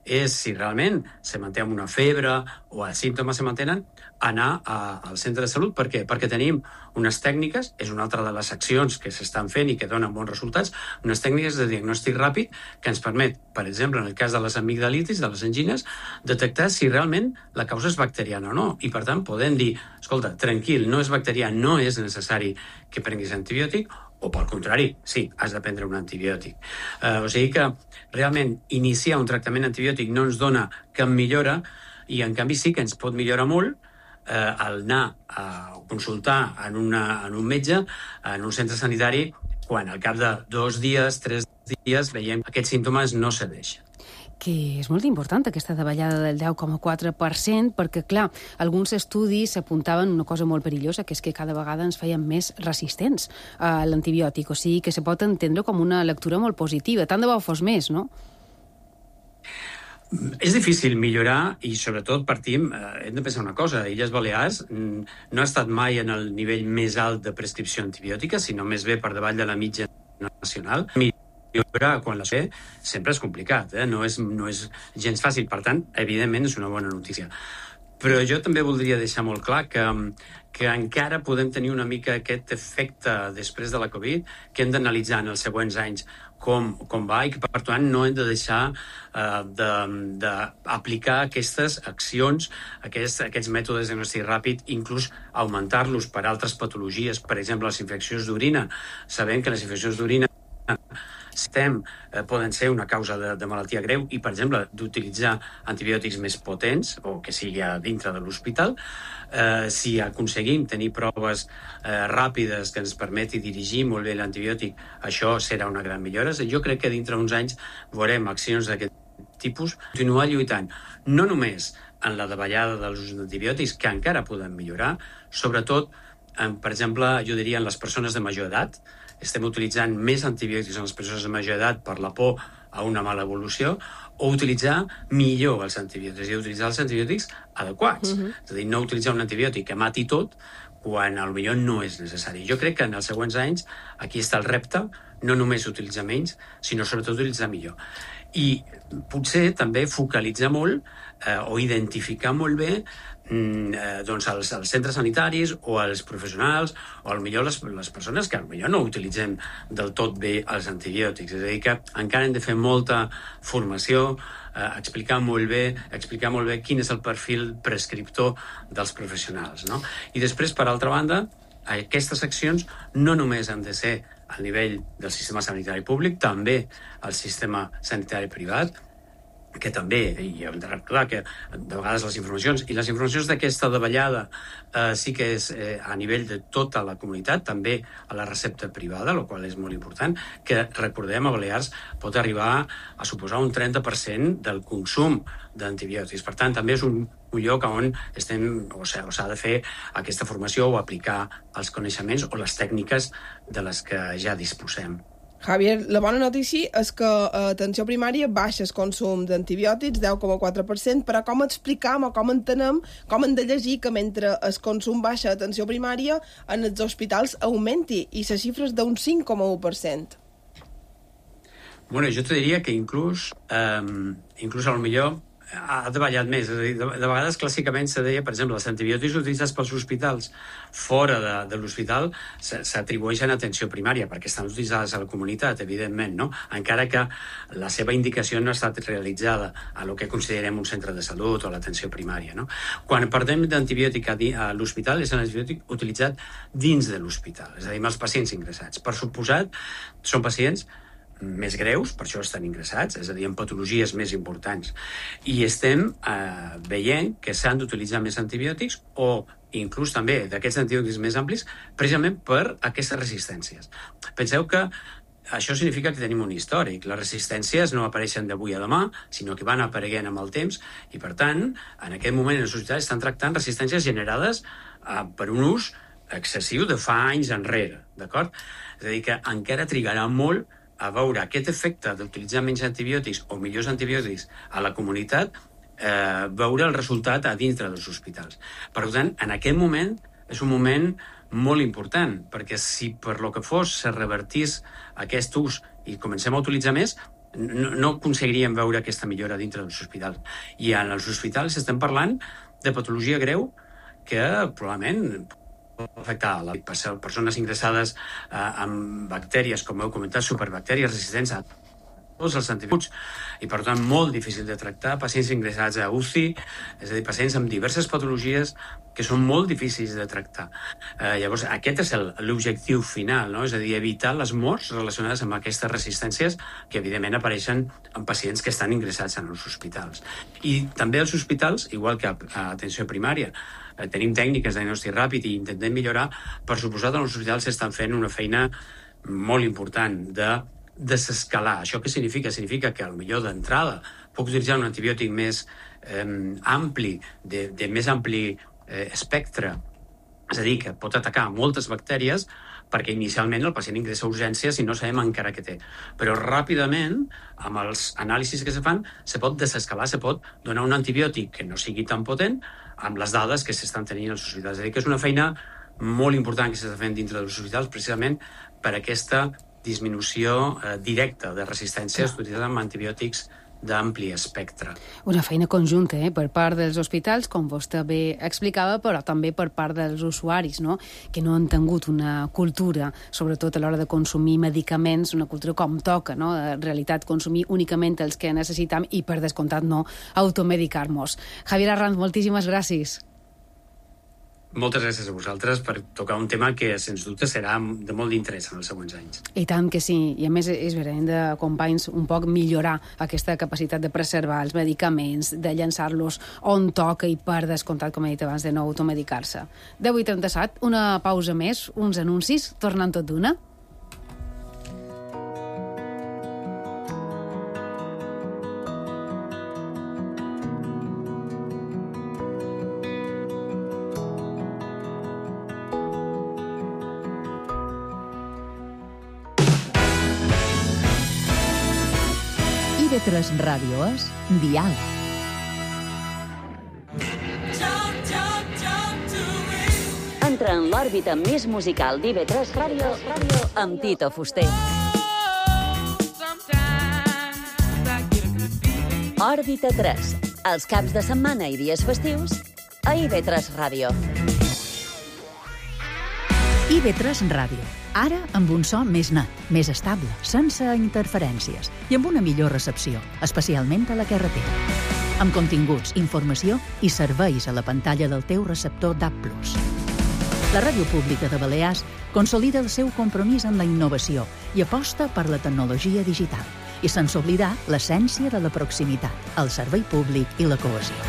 és, si realment se manté amb una febre o els símptomes se mantenen, anar a, al centre de salut. Per què? Perquè tenim unes tècniques, és una altra de les accions que s'estan fent i que donen bons resultats, unes tècniques de diagnòstic ràpid que ens permet, per exemple, en el cas de les amigdalitis, de les angines, detectar si realment la causa és bacteriana o no. I, per tant, podem dir, escolta, tranquil, no és bacterià, no és necessari que prenguis antibiòtic, o, pel contrari, sí, has de prendre un antibiòtic. Eh, o sigui que, realment, iniciar un tractament antibiòtic no ens dona cap millora i, en canvi, sí que ens pot millorar molt eh, al anar a consultar en, una, en un metge, en un centre sanitari, quan al cap de dos dies, tres dies, veiem que aquests símptomes no cedeixen. Que és molt important aquesta davallada del deu coma quatre per cent, perquè, clar, alguns estudis apuntaven una cosa molt perillosa, que és que cada vegada ens feien més resistents a l'antibiòtic, o sigui que se pot entendre com una lectura molt positiva. Tant de bo fos més, no? És difícil millorar i, sobretot, partim, eh, hem de pensar una cosa, Illes Balears no ha estat mai en el nivell més alt de prescripció antibiòtica, sinó més bé per davall de la mitja nacional. Millorar quan la sé sempre és complicat, eh? no, és, no és gens fàcil, per tant, evidentment és una bona notícia. Però jo també voldria deixar molt clar que, que encara podem tenir una mica aquest efecte després de la Covid, que hem d'analitzar en els següents anys com, com va i que, per tant, no hem de deixar eh, d'aplicar aquestes accions, aquests, aquests mètodes de diagnòstic ràpid, inclús augmentar-los per altres patologies, per exemple, les infeccions d'orina. Sabem que les infeccions d'orina estem, eh, poden ser una causa de, de malaltia greu i, per exemple, d'utilitzar antibiòtics més potents o que sigui a dintre de l'hospital. Eh, si aconseguim tenir proves eh, ràpides que ens permeti dirigir molt bé l'antibiòtic, això serà una gran millora. Jo crec que dintre d'uns anys veurem accions d'aquest tipus. Continuar lluitant, no només en la davallada dels usos d'antibiòtics, que encara poden millorar, sobretot, en, per exemple, jo diria en les persones de major edat. Estem utilitzant més antibiòtics en les persones de major edat per la por a una mala evolució, o utilitzar millor els antibiòtics, i utilitzar els antibiòtics adequats. Uh-huh. És a dir, no utilitzar un antibiòtic que mati tot quan potser no és necessari. Jo crec que en els següents anys aquí està el repte, no només utilitzar menys, sinó sobretot utilitzar millor. I potser també focalitzar molt eh, o identificar molt bé eh, doncs els, els centres sanitaris o els professionals o potser les, les persones que potser no utilitzem del tot bé els antibiòtics. És a dir, que encara hem de fer molta formació, eh, explicar molt bé, explicar molt bé quin és el perfil prescriptor dels professionals, no? I després, per altra banda, aquestes accions no només han de ser al nivell del sistema sanitari públic, també al sistema sanitari privat, que també, i hem de recordar que de vegades les informacions, i les informacions d'aquesta davallada eh, sí que és eh, a nivell de tota la comunitat, també a la recepta privada, el qual és molt important, que recordem a Balears pot arribar a suposar un trenta per cent del consum d'antibiòtics. Per tant, també és un, un lloc on estem, o s'ha, o s'ha de fer aquesta formació o aplicar els coneixements o les tècniques de les que ja disposem. Javier, la bona notícia és que a atenció primària baixa el consum d'antibiòtics, deu coma quatre per cent, però com explicam o com entenem, com hem de llegir que mentre el consum baixa a atenció primària, en els hospitals augmenti, i la xifra és d'un cinc coma u per cent. Bueno, jo te diria que inclús, eh, inclús a lo millor ha davallat més. És a dir, de, de vegades, clàssicament, se deia, per exemple, els antibiòtics utilitzats pels hospitals fora de, de l'hospital s'atribueixen a atenció primària, perquè estan utilitzades a la comunitat, evidentment, no? Encara que la seva indicació no ha estat realitzada a lo que considerem un centre de salut o l'atenció primària, no? Quan parlem d'antibiòtic a, a l'hospital, és un antibiòtic utilitzat dins de l'hospital, és a dir, amb els pacients ingressats. Per suposat, són pacients més greus, per això estan ingressats, és a dir, amb patologies més importants. I estem eh, veient que s'han d'utilitzar més antibiòtics o inclús també d'aquests antibiòtics més amplis precisament per aquestes resistències. Penseu que això significa que tenim un històric. Les resistències no apareixen d'avui a demà, sinó que van apareguent amb el temps i, per tant, en aquest moment els hospitals estan tractant resistències generades eh, per un ús excessiu de fa anys enrere, d'acord? És a dir, que encara trigarà molt a veure aquest efecte d'utilitzar menys antibiòtics o millors antibiòtics a la comunitat, eh, veure el resultat a dintre dels hospitals. Per tant, en aquest moment és un moment molt important, perquè si per lo que fos se revertís aquest ús i comencem a utilitzar més, no, no aconseguiríem veure aquesta millora dintre dels hospitals. I en els hospitals estem parlant de patologia greu que probablement afectar a les persones ingressades eh, amb bactèries, com heu comentat, superbactèries resistents a tots els antibiòtics i, per tant, molt difícil de tractar, pacients ingressats a U C I, és a dir, pacients amb diverses patologies que són molt difícils de tractar. Eh, llavors, aquest és l'objectiu final, no? És a dir, evitar les morts relacionades amb aquestes resistències que, evidentment, apareixen en pacients que estan ingressats en els hospitals. I també als hospitals, igual que a, a atenció primària, eh, tenim tècniques de diagnòstic ràpid i intentem millorar. Per suposat, en els hospitals s'estan fent una feina molt important de desescalar. Això què significa? Significa que, potser d'entrada, puc utilitzar un antibiòtic més eh, ampli, de, de més ampli eh, espectre, és a dir, que pot atacar moltes bactèries, perquè inicialment el pacient ingressa a urgències i no sabem encara què té. Però ràpidament, amb els anàlisis que se fan, se pot desescalar, se pot donar un antibiòtic que no sigui tan potent amb les dades que s'estan tenint als hospitals. És a dir, que és una feina molt important que s'està fent dintre dels hospitals precisament per aquesta disminució eh, directa de resistències utilitzades amb antibiòtics d'ampli espectre. Una feina conjunta, eh, per part dels hospitals, com vostè bé explicava, però també per part dels usuaris, no? Que no han tingut una cultura, sobretot a l'hora de consumir medicaments, una cultura com toca, no? En realitat, consumir únicament els que necessitam i, per descomptat, no automedicar-nos. Javier Arranz, moltíssimes gràcies. Moltes gràcies a vosaltres per tocar un tema que, sens dubte, serà de molt d'interès en els següents anys. I tant que sí. I, a més, és vera, hem de, companys, un poc millorar aquesta capacitat de preservar els medicaments, de llançar-los on toca i, per descomptat, com he dit abans, de no automedicar-se. deu i trenta-set, una pausa més, uns anuncis, tornant tot d'una. I ve tres Ràdio és Diàleg. Entra en l'òrbita més musical d'I V tres Ràdio amb Tito Fuster. Òrbita tres, els caps de setmana i dies festius a I V tres Ràdio. I V tres Ràdio. Ara amb un so més net, més estable, sense interferències i amb una millor recepció, especialment a la carretera. Amb continguts, informació i serveis a la pantalla del teu receptor D A B plus. La Ràdio Pública de Balears consolida el seu compromís amb la innovació i aposta per la tecnologia digital, i sense oblidar l'essència de la proximitat, el servei públic i la cohesió.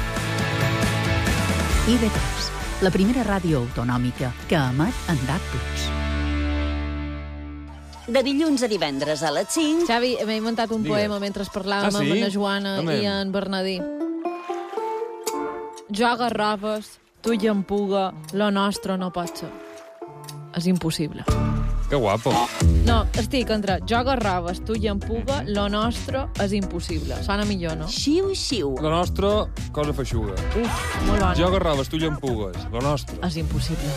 I V tres, la primera ràdio autonòmica que emet en D A B plus. De dilluns a divendres a les cinc... Xavi, m'he inventat un Digues. poema mentre parlàvem Ah, sí? amb la Joana Home. i en Bernadí. Jo garrofes, tu llampuga, lo nostre no pot ser. És impossible. Que guapo. No, estic entre jo garraves, tu llampuga, lo nostre és impossible. Sona millor, no? Xiu, xiu. Lo nostre, cosa feixuga. Uf, molt bona. Jo garraves, tu llampugues. Lo nostre. És impossible.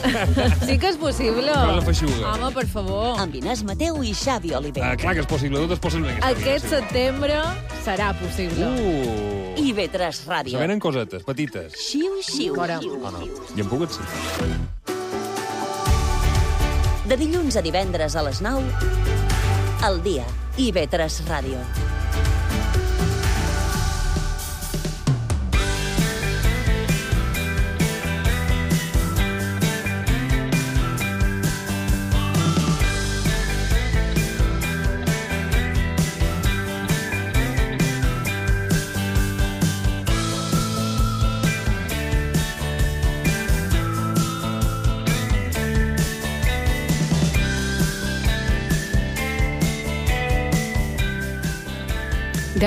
Sí que és possible. Cosa feixuga. Home, per favor. Amb Inés Mateu i Xavi Oliver. Ah, clar que és possible, tot és possible. Aquest setembre serà possible. Uh. I B tres Ràdio. Se venen cosetes, petites. Xiu, xiu. Fora. Oh, no. Llampugues, sí. De dilluns a divendres a les nou, al dia, I B tres Ràdio.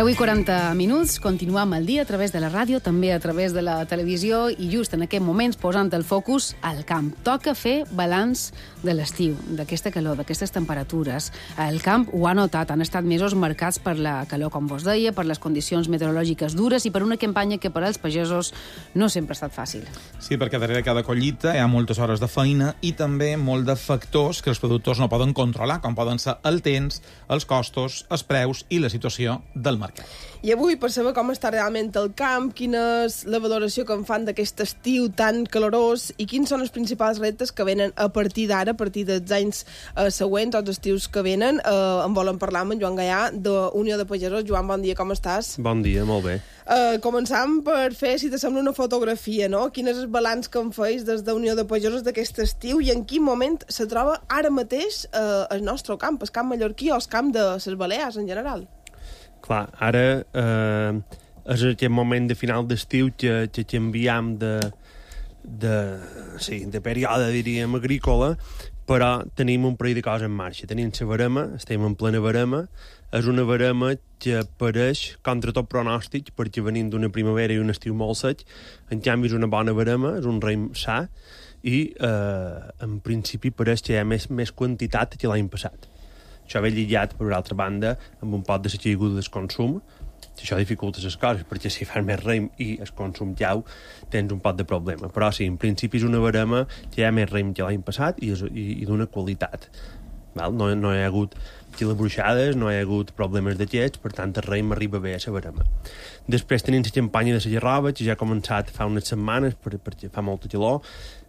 deu i quaranta minuts, continuam el dia a través de la ràdio, també a través de la televisió i just en aquest moments posant el focus al camp. Toca fer balanç de l'estiu, d'aquesta calor, d'aquestes temperatures. El camp ho ha notat, han estat mesos marcats per la calor, com vos deia, per les condicions meteorològiques dures i per una campanya que per als pagesos no sempre ha estat fàcil. Sí, perquè darrere cada collita hi ha moltes hores de feina i també molt de factors que els productors no poden controlar, com poden ser el temps, els costos, els preus i la situació del mercat. I avui, per saber com està realment el camp, quina és la valoració que en fan d'aquest estiu tan calorós i quins són els principals reptes que venen a partir d'ara, a partir dels anys eh, següents, els estius que venen, eh, en volen parlar amb en Joan Gaià, d'Unió de Pagesos. Joan, bon dia, com estàs? Bon dia, molt bé. Uh, començam per fer, si t'assembla, una fotografia, no? Quin és el balanç que en feis des d'Unió de Pagesos d'aquest estiu i en quin moment se troba ara mateix uh, el nostre camp, el camp mallorquí o el camp de les Balears en general? Clar, ara eh, és aquest moment de final d'estiu que, que canviem de, de, sí, de període, diríem, agrícola, però tenim un parell de coses en marxa. Tenim la verema, estem en plena verema, és una verema que apareix contra tot pronòstic, perquè venim d'una primavera i un estiu molt sec, en canvi és una bona verema, és un raïm sa, i eh, en principi pareix que hi ha més, més quantitat que l'any passat. Això ve lligat, per altra banda, amb un pot de la caiguda del consum, que això dificulta les coses, perquè si fas més raïm i el consum jau, tens un pot de problema. Però sí, en principi és una verema que hi ha més raïm que l'any passat i, i, i d'una qualitat. Val? No, no hi ha hagut xilabruixades, no hi ha hagut problemes d'aquests, per tant el raïm arriba bé a la verema. Després tenim la campanya de la gerrova, que ja ha començat fa unes setmanes, per, perquè fa molta calor.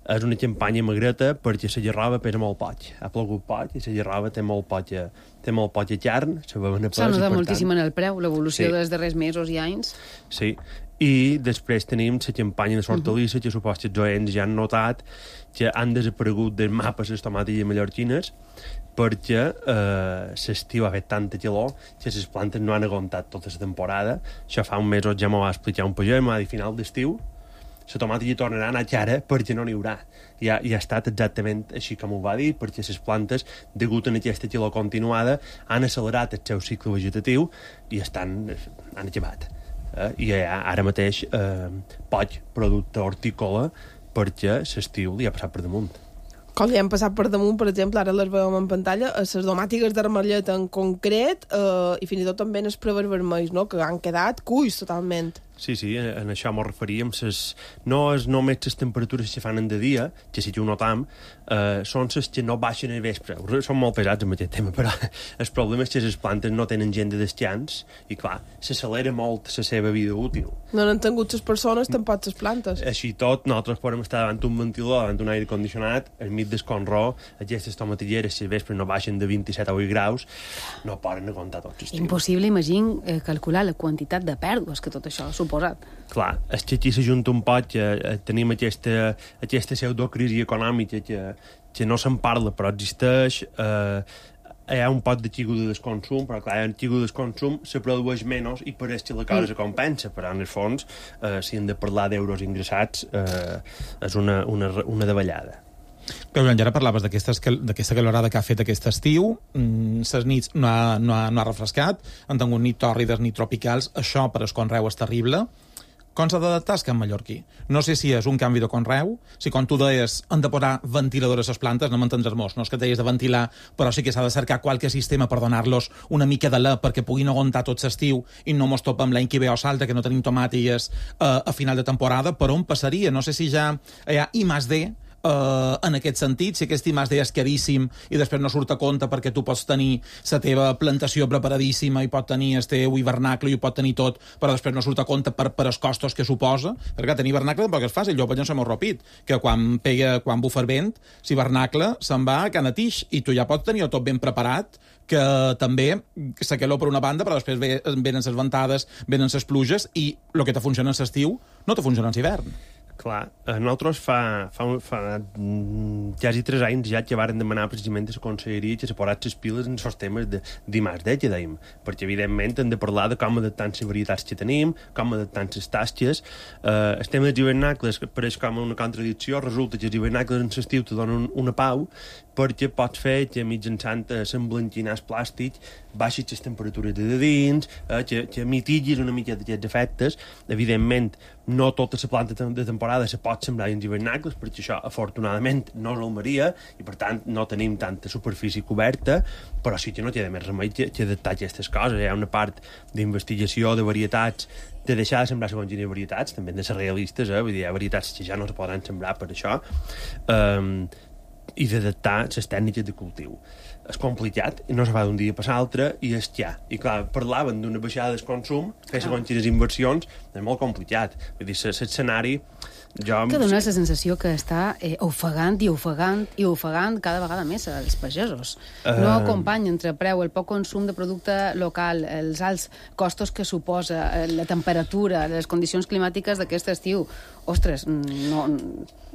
És una campanya magreta perquè la gerrova pesa molt poc. Ha plogut poc i la gerrova té molt poc, té molt poc carn. S'ha notat moltíssim en el preu, l'evolució sí. dels darrers mesos i anys. Sí, i després tenim la campanya de l'hortalissa, uh-huh. que supos que els oients ja han notat que han desaparegut dels mapes les tomatilles mallorquines perquè eh, l'estiu ha fet tanta calor que les plantes no han aguantat tota la temporada. Això fa un mes ja m'ho va explicar un pagès, m'ha dit final d'estiu la tomata hi tornarà a anar cara perquè no n'hi haurà. I ha, i ha estat exactament així com ho va dir, perquè les plantes, degut a aquesta calor continuada, han accelerat el seu cicle vegetatiu i estan, han acabat. Eh? I ha, ara mateix eh, poc producte hortícola perquè l'estiu li ha passat per damunt. Com li han passat per damunt, per exemple, ara les veiem en pantalla, a les domàtiques d'armellet en concret eh, i fins i tot també en els prevers vermells, no?, que han quedat cuis totalment. Sí, sí, en això m'ho referíem. Ses, no és només les temperatures que fan en de dia, que sí que ho notam, eh, són les que no baixen al vespre. Són molt pesats amb aquest tema, però el problema és que les plantes no tenen gent de descans i, clar, s'accelera molt la seva vida útil. No han tingut les persones, tampoc les plantes. Així tot, nosaltres podem estar davant un ventilador, davant un aire condicionat, al mig del conró, aquestes tomatilleres, si al vespre no baixen de vint-i-set a vuit graus, no poden aguantar tot l'estiu. Impossible, imagina, eh, calcular la quantitat de pèrdues que tot això suposat. Clar, és que aquí s'ajunta un poc que eh, tenim aquesta, aquesta pseudocrisi econòmica que, que no se'n parla, però existeix. Eh, hi ha un pot de caiguda del consum, però clar, en caiguda del consum se produeix menys i pareix que la cosa se compensa, però en el fons, eh, si hem de parlar d'euros ingressats, eh, és una, una, una davallada. Però ja ara parlaves d'aquesta calorada que ha fet aquest estiu, les nits no ha, no, ha, no ha refrescat, han tingut nit tòrrides, nit tropicals, això per al conreu és terrible. com s'ha d'adaptar el camp mallorquí. No sé si és un canvi de conreu, si com tu deies han de posar ventiladores a les plantes, no m'entendràs molt, no és que deies de ventilar, però sí que s'ha de cercar qualque sistema per donar-los una mica de la perquè puguin aguantar tot l'estiu i no mos topem l'any que ve o salta, que no tenim tomàtiques uh, a final de temporada. Per on passaria? No sé si ja hi ha I més D, Uh, en aquest sentit, si aquest I més D és caríssim i després no surt a compte perquè tu pots tenir la teva plantació preparadíssima i pot tenir el teu hivernacle i ho pot tenir tot, però després no surt a compte per, per els costos que suposa, perquè tenir hivernacle tampoc és fàcil. Jo, per exemple, se m'ho repit, que quan pega, quan bufa el vent, si hivernacle se'n va a canatix i tu ja pots tenir tot ben preparat, que també se queló per una banda, però després ve, venen les ventades, venen les pluges i el que te funciona en l'estiu no te funciona en l'hivern. Clar, nosaltres fa, fa, fa quasi tres anys ja que varen demanar precisament a la conselleria que se posat les piles en els temes de d'I més D, que dèiem, perquè evidentment hem de parlar de com adaptar les varietats que tenim, com adaptar les tasques. Eh, el tema dels hivernacles pareix com una contradicció, resulta que els hivernacles en l'estiu te donen una pau, perquè pots fer que mitjançant s'emblanquinars plàstic baixis les temperatures de dins, eh, que, que mitiguis una mica d'aquests efectes. Evidentment, no tota la planta de temporada se pot sembrar en hivernacles, perquè això, afortunadament, no és Almeria, i per tant no tenim tanta superfície coberta, però sí que no té més remei que, que adaptar aquestes coses. Hi ha una part d'investigació de varietats, de deixar de sembrar segons quines varietats, també de ser realistes, eh? Vull dir, hi ha varietats que ja no es poden sembrar per això, um, i d'adaptar les tècniques de cultiu. És complicat, i no se fa d'un dia per l'altre, i és ja. I clar, parlaven d'una baixada del consum, fer segons quines inversions, és molt complicat. Vull dir, l'escenari... Jo... Que dona la sensació que està eh, ofegant i ofegant i ofegant cada vegada més els pagesos. Uh... No acompanya entre preu, el poc consum de producte local, els alts costos que suposa, la temperatura, les condicions climàtiques d'aquest estiu. Ostres, no...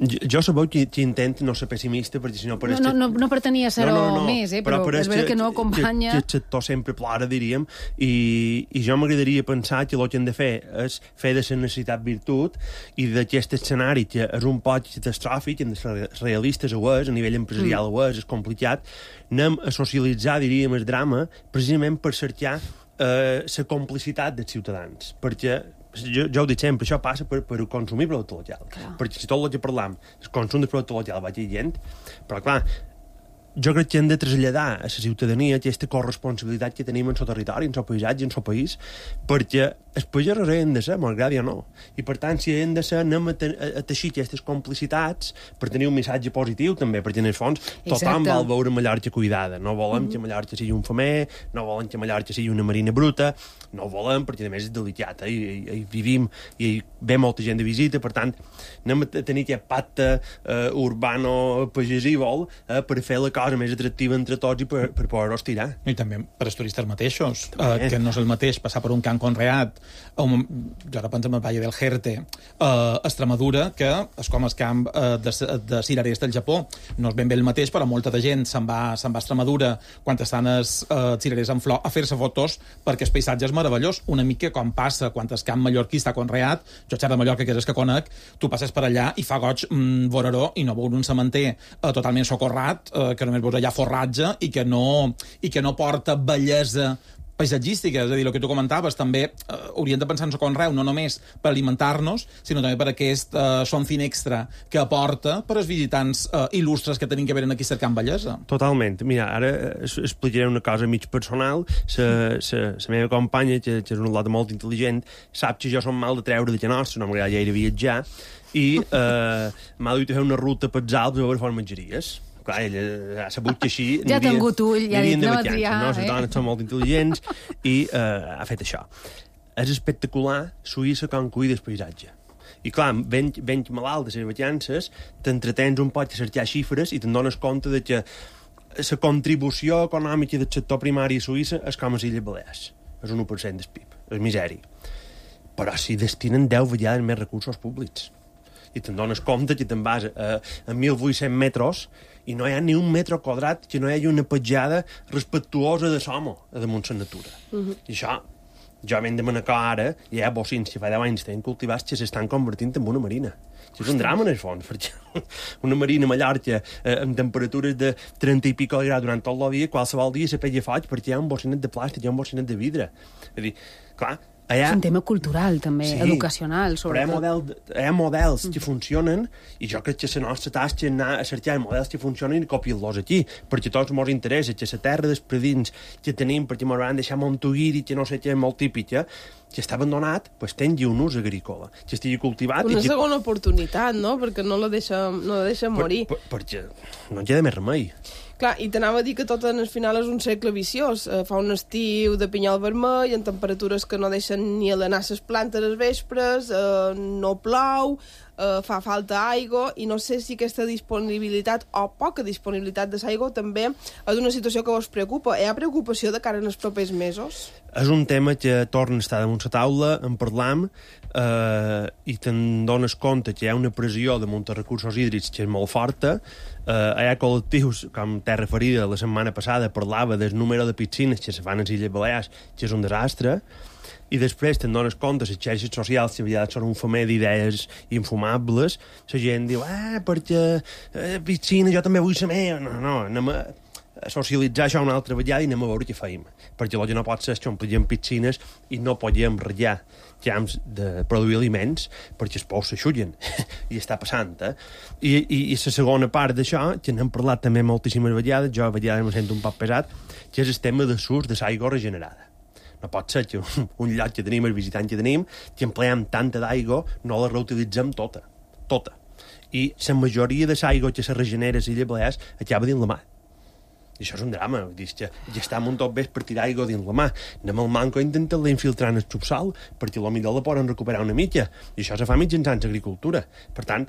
Jo, jo sabeu que, que intento no ser pessimista, perquè si no... Per no, no, no, no pretenia ser-ho no, no, no. més, eh, però, però és veritat que, que no acompanya... Que, que el sector sempre plora, diríem, i, i jo m'agradaria pensar que el que hem de fer és fer de la necessitat virtut, i d'aquest escenari que és un poc catastròfic, hem de ser realistes, ho és, a nivell empresarial mm. ho és, és complicat, anem a socialitzar, diríem, el drama, precisament per cercar eh, la complicitat dels ciutadans, perquè jo, jo ho dic sempre, això passa per, per consumir producte local. Clar. Perquè si tot el que parlam, el consum de producte local va gent, però clar, jo crec que hem de traslladar a la ciutadania aquesta corresponsabilitat que tenim en el territori, en el paisatge, en el país, perquè els pagesos han de ser, malgrat o no. I per tant, si han de ser, anem a, a, a teixir aquestes complicitats per tenir un missatge positiu també, perquè en el fons tothom vol veure Mallorca cuidada. No volem mm-hmm. que Mallorca sigui un femer, no volem que Mallorca sigui una marina bruta, no ho volem perquè a més és delicat, eh? I, i, i vivim i ve molta gent de visita, per tant anem a tenir aquest pacte eh, urbano-pagesívol eh, per fer la cosa més atractiva entre tots i per, per poder-ho estirar. I també per als turistes mateixos, eh, que no és el mateix passar per un camp conreat, um, jo ara penso en el Valle del Jerte, a uh, Extremadura, que és com el camp uh, de, de cirerers del Japó. No és ben bé el mateix, però molta de gent se'n va, se'n va a Extremadura quan estan els uh, cirerers en flor a fer-se fotos perquè el paisatge és meravellós, una mica com passa quan el camp mallorquí està conreat. Jo xerro de Mallorca, que és el que conec, tu passes per allà i fa goig mm, voraró i no veus un cementer uh, totalment socorrat, uh, que només veus allà forratge i que no, i que no porta bellesa paisatgística, és a dir, el que tu comentaves, també eh, hauríem de pensar en el conreu, no només per alimentar-nos, sinó també per aquest eh, something extra que aporta per als visitants eh, il·lustres que tenim que venen aquí cercant bellesa. Totalment. Mira, ara explicaré una cosa mig personal. La meva companya, que, que és una lota molt intel·ligent, sap que jo som mal de treure de que nostre, no m'agrada gaire viatjar, i eh, m'ha dut a fer una ruta pels Alps a veure fora menjaries. Clar, ella ha sabut que així... Ja ha tingut ull, ja ha dit, no va triar. No, les dones són molt intel·ligents i eh, ha fet això. És espectacular Suïssa com cuida el paisatge. I clar, ben, ben malalt de les vacances, t'entretens un poc a cercar xifres i te'n dones compte de que la contribució econòmica del sector primari a Suïssa és com a les Illes Balears. És un u per cent del P I B, és misèria. Però si destinen deu vegades més recursos públics i te'n dones compte que te'n vas a, a mil vuit-cents metres i no hi ha ni un metre quadrat que no hi hagi una petjada respectuosa de l'home a damunt la natura. Uh-huh. I això, jo m'hem de manecar ara, hi ha bocins que fa deu anys tenen cultivats que s'estan convertint en una marina. Això és un drama, en el fons, perquè una marina a Mallorca eh, amb temperatures de trenta i pico graus durant tot el dia, qualsevol dia se pella foig perquè hi ha un bocinet de plàstic, hi ha un bocinet de vidre. És a dir, clar, És un tema cultural, també, Sí, educacional, però hi ha, sobretot. model, hi ha models que funcionen i jo crec que la nostra tasca és anar a cercar models que funcionen i copiar-los aquí, perquè a tots ens interessa que la terra dels predins que tenim, perquè ens van deixar Montuguiri, que no sé què, molt típica, que està abandonat, doncs tingui un ús agrícola, que estigui cultivat... Una i que... segona oportunitat, no? Perquè no la deixem, no la deixem morir. Per, per, perquè no hi ha més remei. Clar, i t'anava a dir que tot en el final és un cercle viciós. Eh, fa un estiu de pinyol vermell, en temperatures que no deixen ni alenar les plantes als vespres, eh, no plou, eh, fa falta aigua, i no sé si aquesta disponibilitat o poca disponibilitat de l'aigua també és una situació que vos preocupa. Hi ha preocupació de cara en els propers mesos? És un tema que torna a estar damunt la taula, en parlam, eh, i te'n dones compte que hi ha una pressió damunt els recursos hídrics que és molt forta. Eh, hi ha col·lectius, com t'he referida la setmana passada, parlava del número de piscines que se fan a les Illes Balears, que és un desastre, i després te'n dones compte, les xarxes socials, que aviat són un femer d'idees infumables, la gent diu, ah, perquè eh, piscina, jo també vull ser meva. No, no, anem a socialitzar això una altra vegada i anem a veure què feim. Perquè el que no pot ser és que omplíem piscines i no podíem ratllar camps de produir aliments perquè els pous s'aixullen. I està passant, eh? I, i, i la segona part d'això, que n'hem parlat també moltíssimes vegades, jo a vegades em sento un poc pesat, que és el tema de l'ús de l'aigua regenerada. No pot ser que un, un lloc que tenim, el visitant que tenim, que empleem tanta d'aigua, no la reutilitzem tota. Tota. I la majoria de l'aigua que se regenera a les Illes Balears acaba dins la mar. I això és un drama, vull dir, que ja està un tot bé per tirar aigua dins la mà. Anem al manco a intentar-la infiltrar en el subsol, perquè potser la poden recuperar una mica, i això se fa mitjançant l'agricultura. Per tant,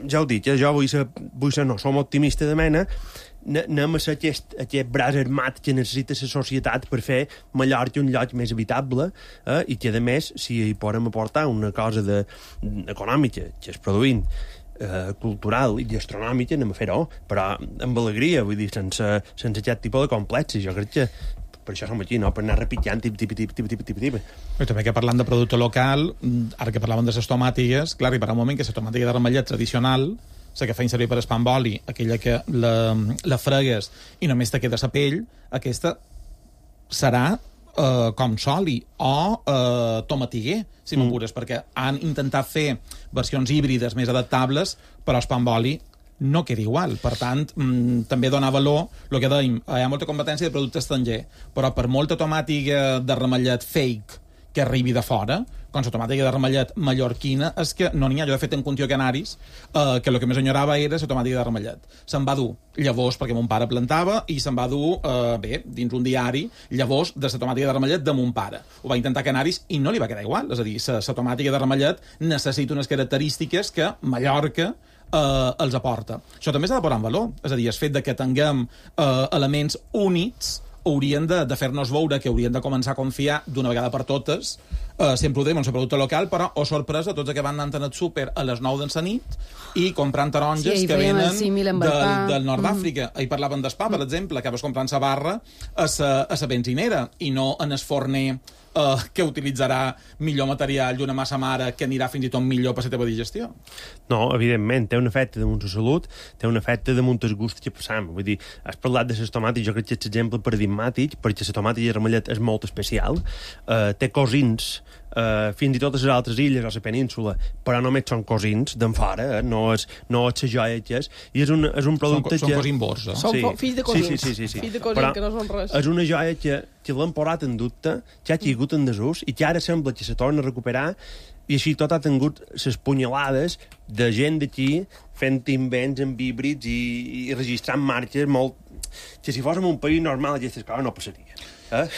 ja ho dic, jo vull ser, vull ser no, som optimista de mena, anem a ser aquest, aquest braç armat que necessita la societat per fer Mallorca un lloc més habitable, eh? I que, a més, si hi podem aportar una cosa de, econòmica, que és produint, eh, cultural i gastronòmica, anem a fer-ho, però amb alegria, vull dir, sense, sense aquest tipus de complexes. Jo crec que per això som aquí, no? Per anar repitjant tip, tip, tip, tip, tip, tip, tip. I també que parlant de producte local, ara que parlàvem de les tomàtigues, clar, arribarà un moment que la tomàtiga de ramellet tradicional, la que feien servir per espam oli, aquella que la, la fregues i només te queda la pell, aquesta serà eh, com soli o eh, tomatiguer, si mm. m'apures, perquè han intentat fer versions híbrides més adaptables, però espam oli no queda igual. Per tant, mmm, també dona valor el que dèiem, hi ha molta competència de producte estranger, però per molta tomàtiga de ramellet fake que arribi de fora, com la tomàtiga de ramellet mallorquina, és que no n'hi ha. Jo, de fet, en Contió Canaris, eh, que el que més enyorava era la tomàtiga de ramellet. Se'n va dur llavors, perquè mon pare plantava, i se'n va dur, eh, bé, dins un diari, llavors de la tomàtiga de ramellet de mon pare. Ho va intentar a Canaris i no li va quedar igual. És a dir, la tomàtiga de ramellet necessita unes característiques que Mallorca eh, els aporta. Això també s'ha de posar en valor. És a dir, el fet de que tinguem eh, elements únics haurien de, de fer-nos veure que haurien de començar a confiar d'una vegada per totes, eh, sempre ho dèiem, en el producte local, però, oh sorpresa, tots que van anant al súper a les nou de la nit i comprant taronges sí, que venen del, del nord d'Àfrica. Mm. Ahir parlaven d'espa, per exemple, que vas comprant sa barra a sa benzinera i no en el forner Uh, que utilitzarà millor material i una massa mare que anirà fins i tot millor per la teva digestió. No, evidentment, té un efecte damunt la salut, té un efecte damunt el gust que passam. Vull dir, has parlat de les tomàtiques, jo crec que és l'exemple paradigmàtic, perquè la tomàtica de ramellet és molt especial, uh, té cosins, Uh, fins i tot a les altres illes o a la península, però només són cosins d'en fora, eh? no és, no és la joia que és, i és un, és un producte són, que... Són cosimbors, eh? Són sí. fills de cosins. Sí, sí, sí, sí, sí. Fills de cosins, però que no són res. És una joia que, que l'han posat en dubte, que ha caigut en desús, i que ara sembla que se torna a recuperar, i així tot ha tingut les punyalades de gent d'aquí fent invents amb híbrids i, i registrant marques molt... que si fóssim un país normal aquestes coses no passaria. Eh?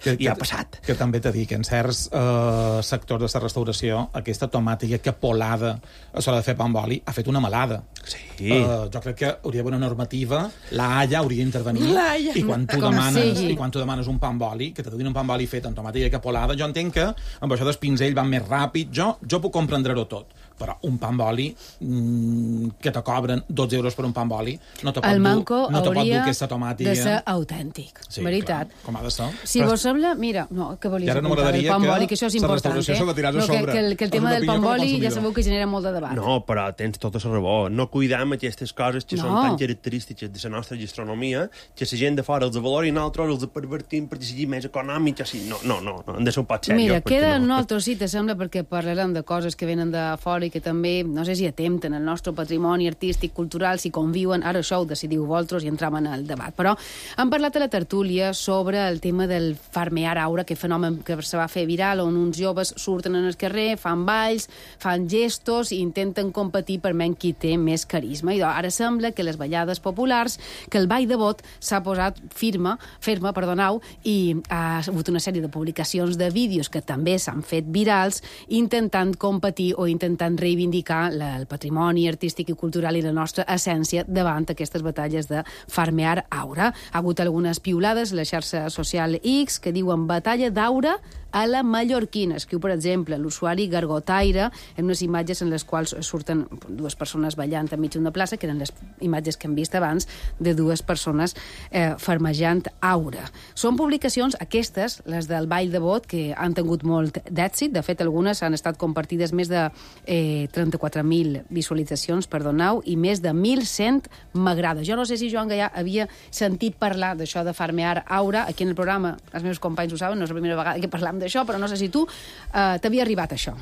Que, I ha passat. Que, que també t'he dit que en certs eh, sectors de la restauració aquesta tomàtica que polada a l'hora de fer pa amb oli ha fet una malada. Sí. Eh, jo crec que hauria d'haver una normativa, la Haia hauria d'intervenir i quan tu Com demanes sigui. i quan tu demanes un pa amb oli, que te donin un pa amb oli fet amb tomàtica que polada, jo entenc que amb això del pinzell va més ràpid, jo, jo puc comprendre-ho tot, però un pa amb oli mm, que te cobren dotze euros per un pa amb oli no te pot el dur, manco no te pot dur hauria aquesta tomàtica. de ser autèntic, sí, veritat. Clar, com ha de ser. Si però... vos sembla, mira, no, que volies no apuntar el pa amb oli, que això és la important, restauració eh? s'ha de tirar a No, que, sobre. que, el, que el tema del pa amb oli ja sabeu que genera molt de debat. No, però tens tota la raó. No cuidam aquestes coses que No. són tan característiques de la nostra gastronomia que la gent de fora els valora i nosaltres els pervertim perquè sigui més econòmic. Així. No, no, no, no, hem de ser un pot seriós. Mira, queda no, un altre sí, te sembla, perquè parlarem de coses que venen de fora i que també, no sé si atempten el nostre patrimoni artístic, cultural, si conviuen, ara això ho decidiu vosaltres i entram en el debat. Però hem parlat a la tertúlia sobre el tema del farmear aura, que fenomen que se va fer viral, on uns joves surten en el carrer, fan balls, fan gestos i intenten competir per menys qui té més carisma. I ara sembla que les ballades populars, que el ball de bot s'ha posat firma, ferma, perdoneu, i ha hagut una sèrie de publicacions de vídeos que també s'han fet virals intentant competir o intentant reivindicar la, el patrimoni artístic i cultural i la nostra essència davant aquestes batalles de farmear aura. Ha hagut algunes piulades a la xarxa social X que diuen batalla d'aura a la mallorquina. Escriu, per exemple, l'usuari Gargotaire en unes imatges en les quals surten dues persones ballant enmig d'una plaça, que eren les imatges que hem vist abans de dues persones eh, farmejant aura. Són publicacions, aquestes, les del ball de bot, que han tingut molt d'èxit. De fet, algunes han estat compartides més de eh, trenta-quatre mil visualitzacions, perdoneu, i més de mil cent m'agrada. Jo no sé si Joan Gaià havia sentit parlar d'això de farmear aura. Aquí en el programa, els meus companys ho saben, no és la primera vegada que parlam d'això, però no sé si tu eh, t'havia arribat això.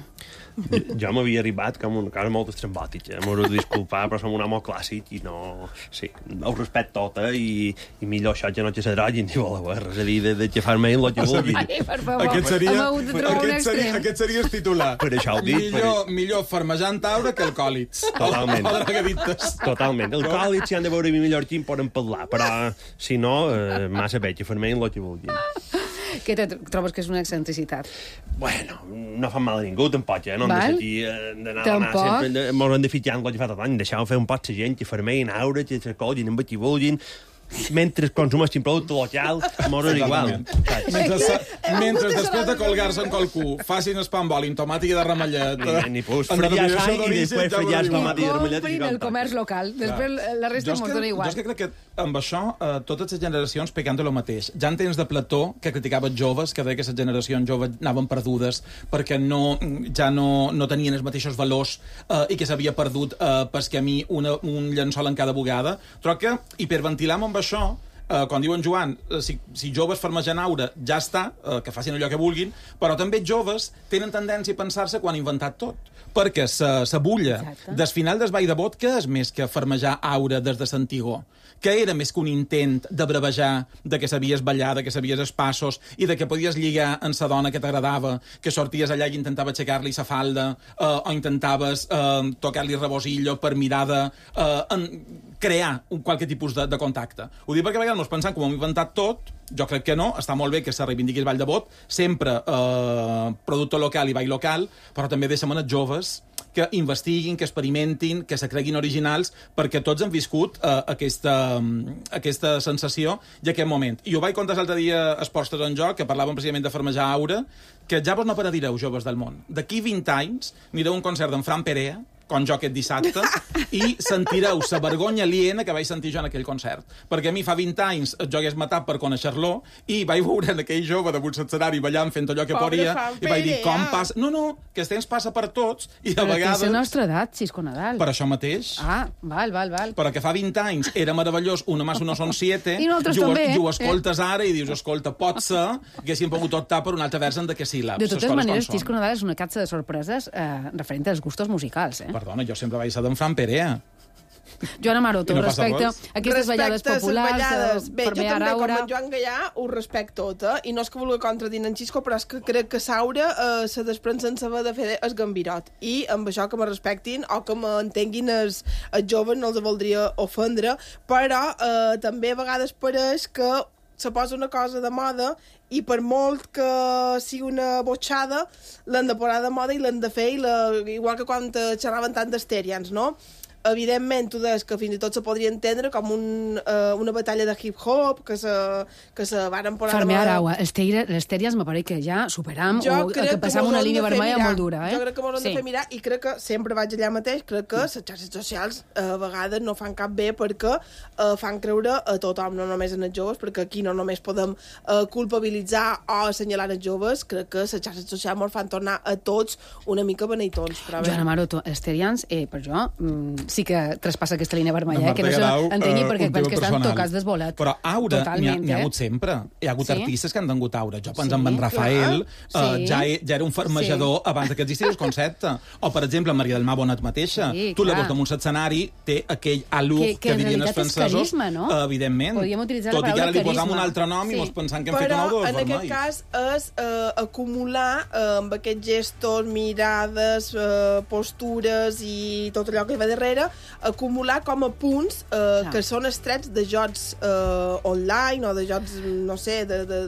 Jo, jo m'havia arribat com una cosa molt estrambòtica. M'ho he de disculpar, però som un home clàssic i no... Sí, ho respecto tot, eh? I, i millor això que no que s'adrogin ni vol haver res a dir de, de que farme el que vulgui. Ai, per favor, aquest seria, hem hagut de trobar un aquest seria, extrem. aquest seria el titular. Per això ho dic. Millor, Per... millor farmejant aura que alcohòlics. Totalment. O drogadites. Totalment. Els còlics, si han de veure mi mallorquí, en poden parlar, però si no, eh, massa bé, que farme el que vulguin. Què te trobes que és una excentricitat? Bueno, no fan mal a ningú, tampoc, eh? No hem de Val? ser aquí, eh, d'anar a Tampoc? anar sempre... Mos hem de fijar en el que fa tot l'any, deixar fer un pot la gent, que farmein aura, que s'acollin amb qui vulguin, mentre consumeixin producte local, mos és igual. Mentre, mentre després de colgar-se en qualcú facin el pa amb oli, amb tomàtica de ramellet... Ni, ni pues, fregar sang i després fregar tomàtica de ramellet. Comprin el comerç local. Després la resta m'ho dona igual. Jo és que crec que amb això eh, totes les generacions pecant de lo mateix. Ja en temps de Plató, que criticava els joves, que deia que les generacions joves anaven perdudes perquè no, ja no, no tenien els mateixos valors eh, i que s'havia perdut eh, pel camí una, un llençol en cada bugada. Però que hiperventilam amb això, eh, quan diuen Joan, eh, si, si joves farmegen aura, ja està, eh, que facin allò que vulguin, però també joves tenen tendència a pensar-se quan han inventat tot. Perquè la bulla del final del ball de bot, què és més que farmejar aura des de l'antigor? Que era més que un intent de bravejar, de que sabies ballar, de que sabies els passos i de que podies lligar amb la dona que t'agradava, que sorties allà i intentava aixecar-li la falda eh, o intentaves eh, tocar-li el rebosillo per mirar de eh, en, crear un qualque tipus de, de contacte. Ho dic perquè a vegades ens pensem que ho hem inventat tot. Jo crec que no, està molt bé que se reivindiqui el ball de bot, sempre eh, producte local i ball local, però també deixem els joves que investiguin, que experimentin, que se creguin originals, perquè tots han viscut eh, aquesta, aquesta sensació i aquest moment. I ho vaig contar l'altre dia a Esports en Joc, que parlàvem precisament de farmejar aura, que ja vos no paradireu, joves del món. D'aquí vint anys anireu a un concert d'en Fran Perea, com jo aquest dissabte, i sentireu la vergonya aliena que vaig sentir jo en aquell concert. Perquè a mi fa vint anys jo hagués matat per conèixer-lo i vaig veure en aquell jove damunt l'escenari ballant fent allò que Pobre podia Fran i vaig dir, Perea. com passa... No, no, que el temps passa per tots i a Però vegades... tens la nostra edat, Xisco Nadal. Per això mateix. Ah, val, val, val. Però que fa vint anys era meravellós, uno más uno son siete, I nosaltres i ho, també, i ho eh? escoltes ara i dius, escolta, pot ser que haguéssim pogut optar per un altre vers en de que síl·labs. De les totes coses maneres, com són. Xisco Nadal és una capsa de sorpreses eh, referent als gustos musicals. Eh? Perdona, jo sempre vaig ser d'en Fran Perea. Joana Maroto, I no passa respecte res? a aquestes ballades Respecte a les populars, ballades. eh, Bé, jo farmear també, com aura... en Joan Gaià, ho respecto tot, eh? I no és que vulgui contradir en Xisco, però és que crec que Saura eh, se desprèn sense haver de fer el gambirot. I amb això que me respectin o que m'entenguin els, els joves no els voldria ofendre, però eh, també a vegades pareix que se posa una cosa de moda i per molt que sigui una botxada, l'han de posar de moda i l'han de fer, i la, igual que quan xerraven tant d'estèrians, no? evidentment, tu deies que fins i tot se podria entendre com un, uh, una batalla de hip-hop, que se, que se varen posar... Farme ara, les tèries me pareix que ja superam, jo o que passam una línia vermella mirar. molt dura, eh? Jo crec que m'ho hem sí. de fer mirar, i crec que sempre vaig allà mateix, crec que les xarxes socials a vegades no fan cap bé perquè uh, fan creure a tothom, no només en els joves, perquè aquí no només podem uh, culpabilitzar o assenyalar els joves, crec que les xarxes socials ens fan tornar a tots una mica beneitons. Joana Maroto, els terians, eh, per jo, mm, sí que traspassa aquesta línia vermella, eh, que no s'entengui perquè uh, penso que estan tocats desvolats. Però aura n'hi ha, ha hagut sempre. Hi ha hagut sí? artistes que han tingut aura. Jo penso sí, en en Rafael, uh, sí. ja, ja era un farmejador sí. abans que existís el concepte. O, per exemple, Maria del Mar Bonet mateixa. Sí, tu la veus damunt l'escenari, té aquell alú que, que, que dirien els francesos. Carisma, no? Uh, evidentment. Podríem utilitzar Tot la paraula i que ara li carisma. posam un altre nom sí. i mos pensant que hem Però, fet un ou de en aquest cas és uh, acumular uh, amb aquests gestos, mirades, uh, postures i tot allò que hi va darrere, acumular com a punts uh, que són estrets de jocs uh, online o de jocs, no sé, de... de...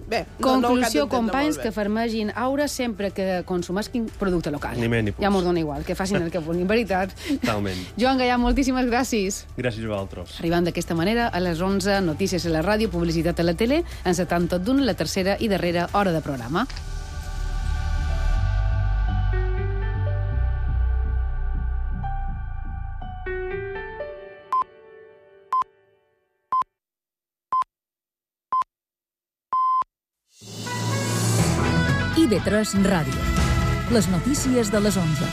Bé, conclusió, no, no companys, que farmegin aura sempre que consumisquin producte local. Ni més ni ja mos dona igual, que facin el que vulguin, veritat. Totalment. Joan Gallà, moltíssimes gràcies. Gràcies a vosaltres. Arribant d'aquesta manera, a les onze, notícies a la ràdio, publicitat a la tele, encetant tot d'un, la tercera i darrera hora de programa. I B tres Ràdio. Les notícies de les onze.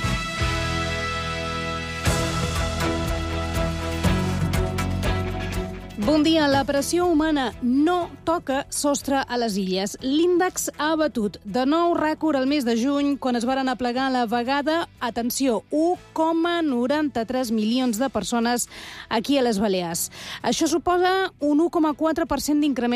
Bon dia. La pressió humana no toca sostre a les illes. L'índex ha batut de nou rècord al mes de juny, quan es varen aplegar a la vegada, atenció, u coma noranta-tres milions de persones aquí a les Balears. Això suposa un u coma quatre per cent d'increment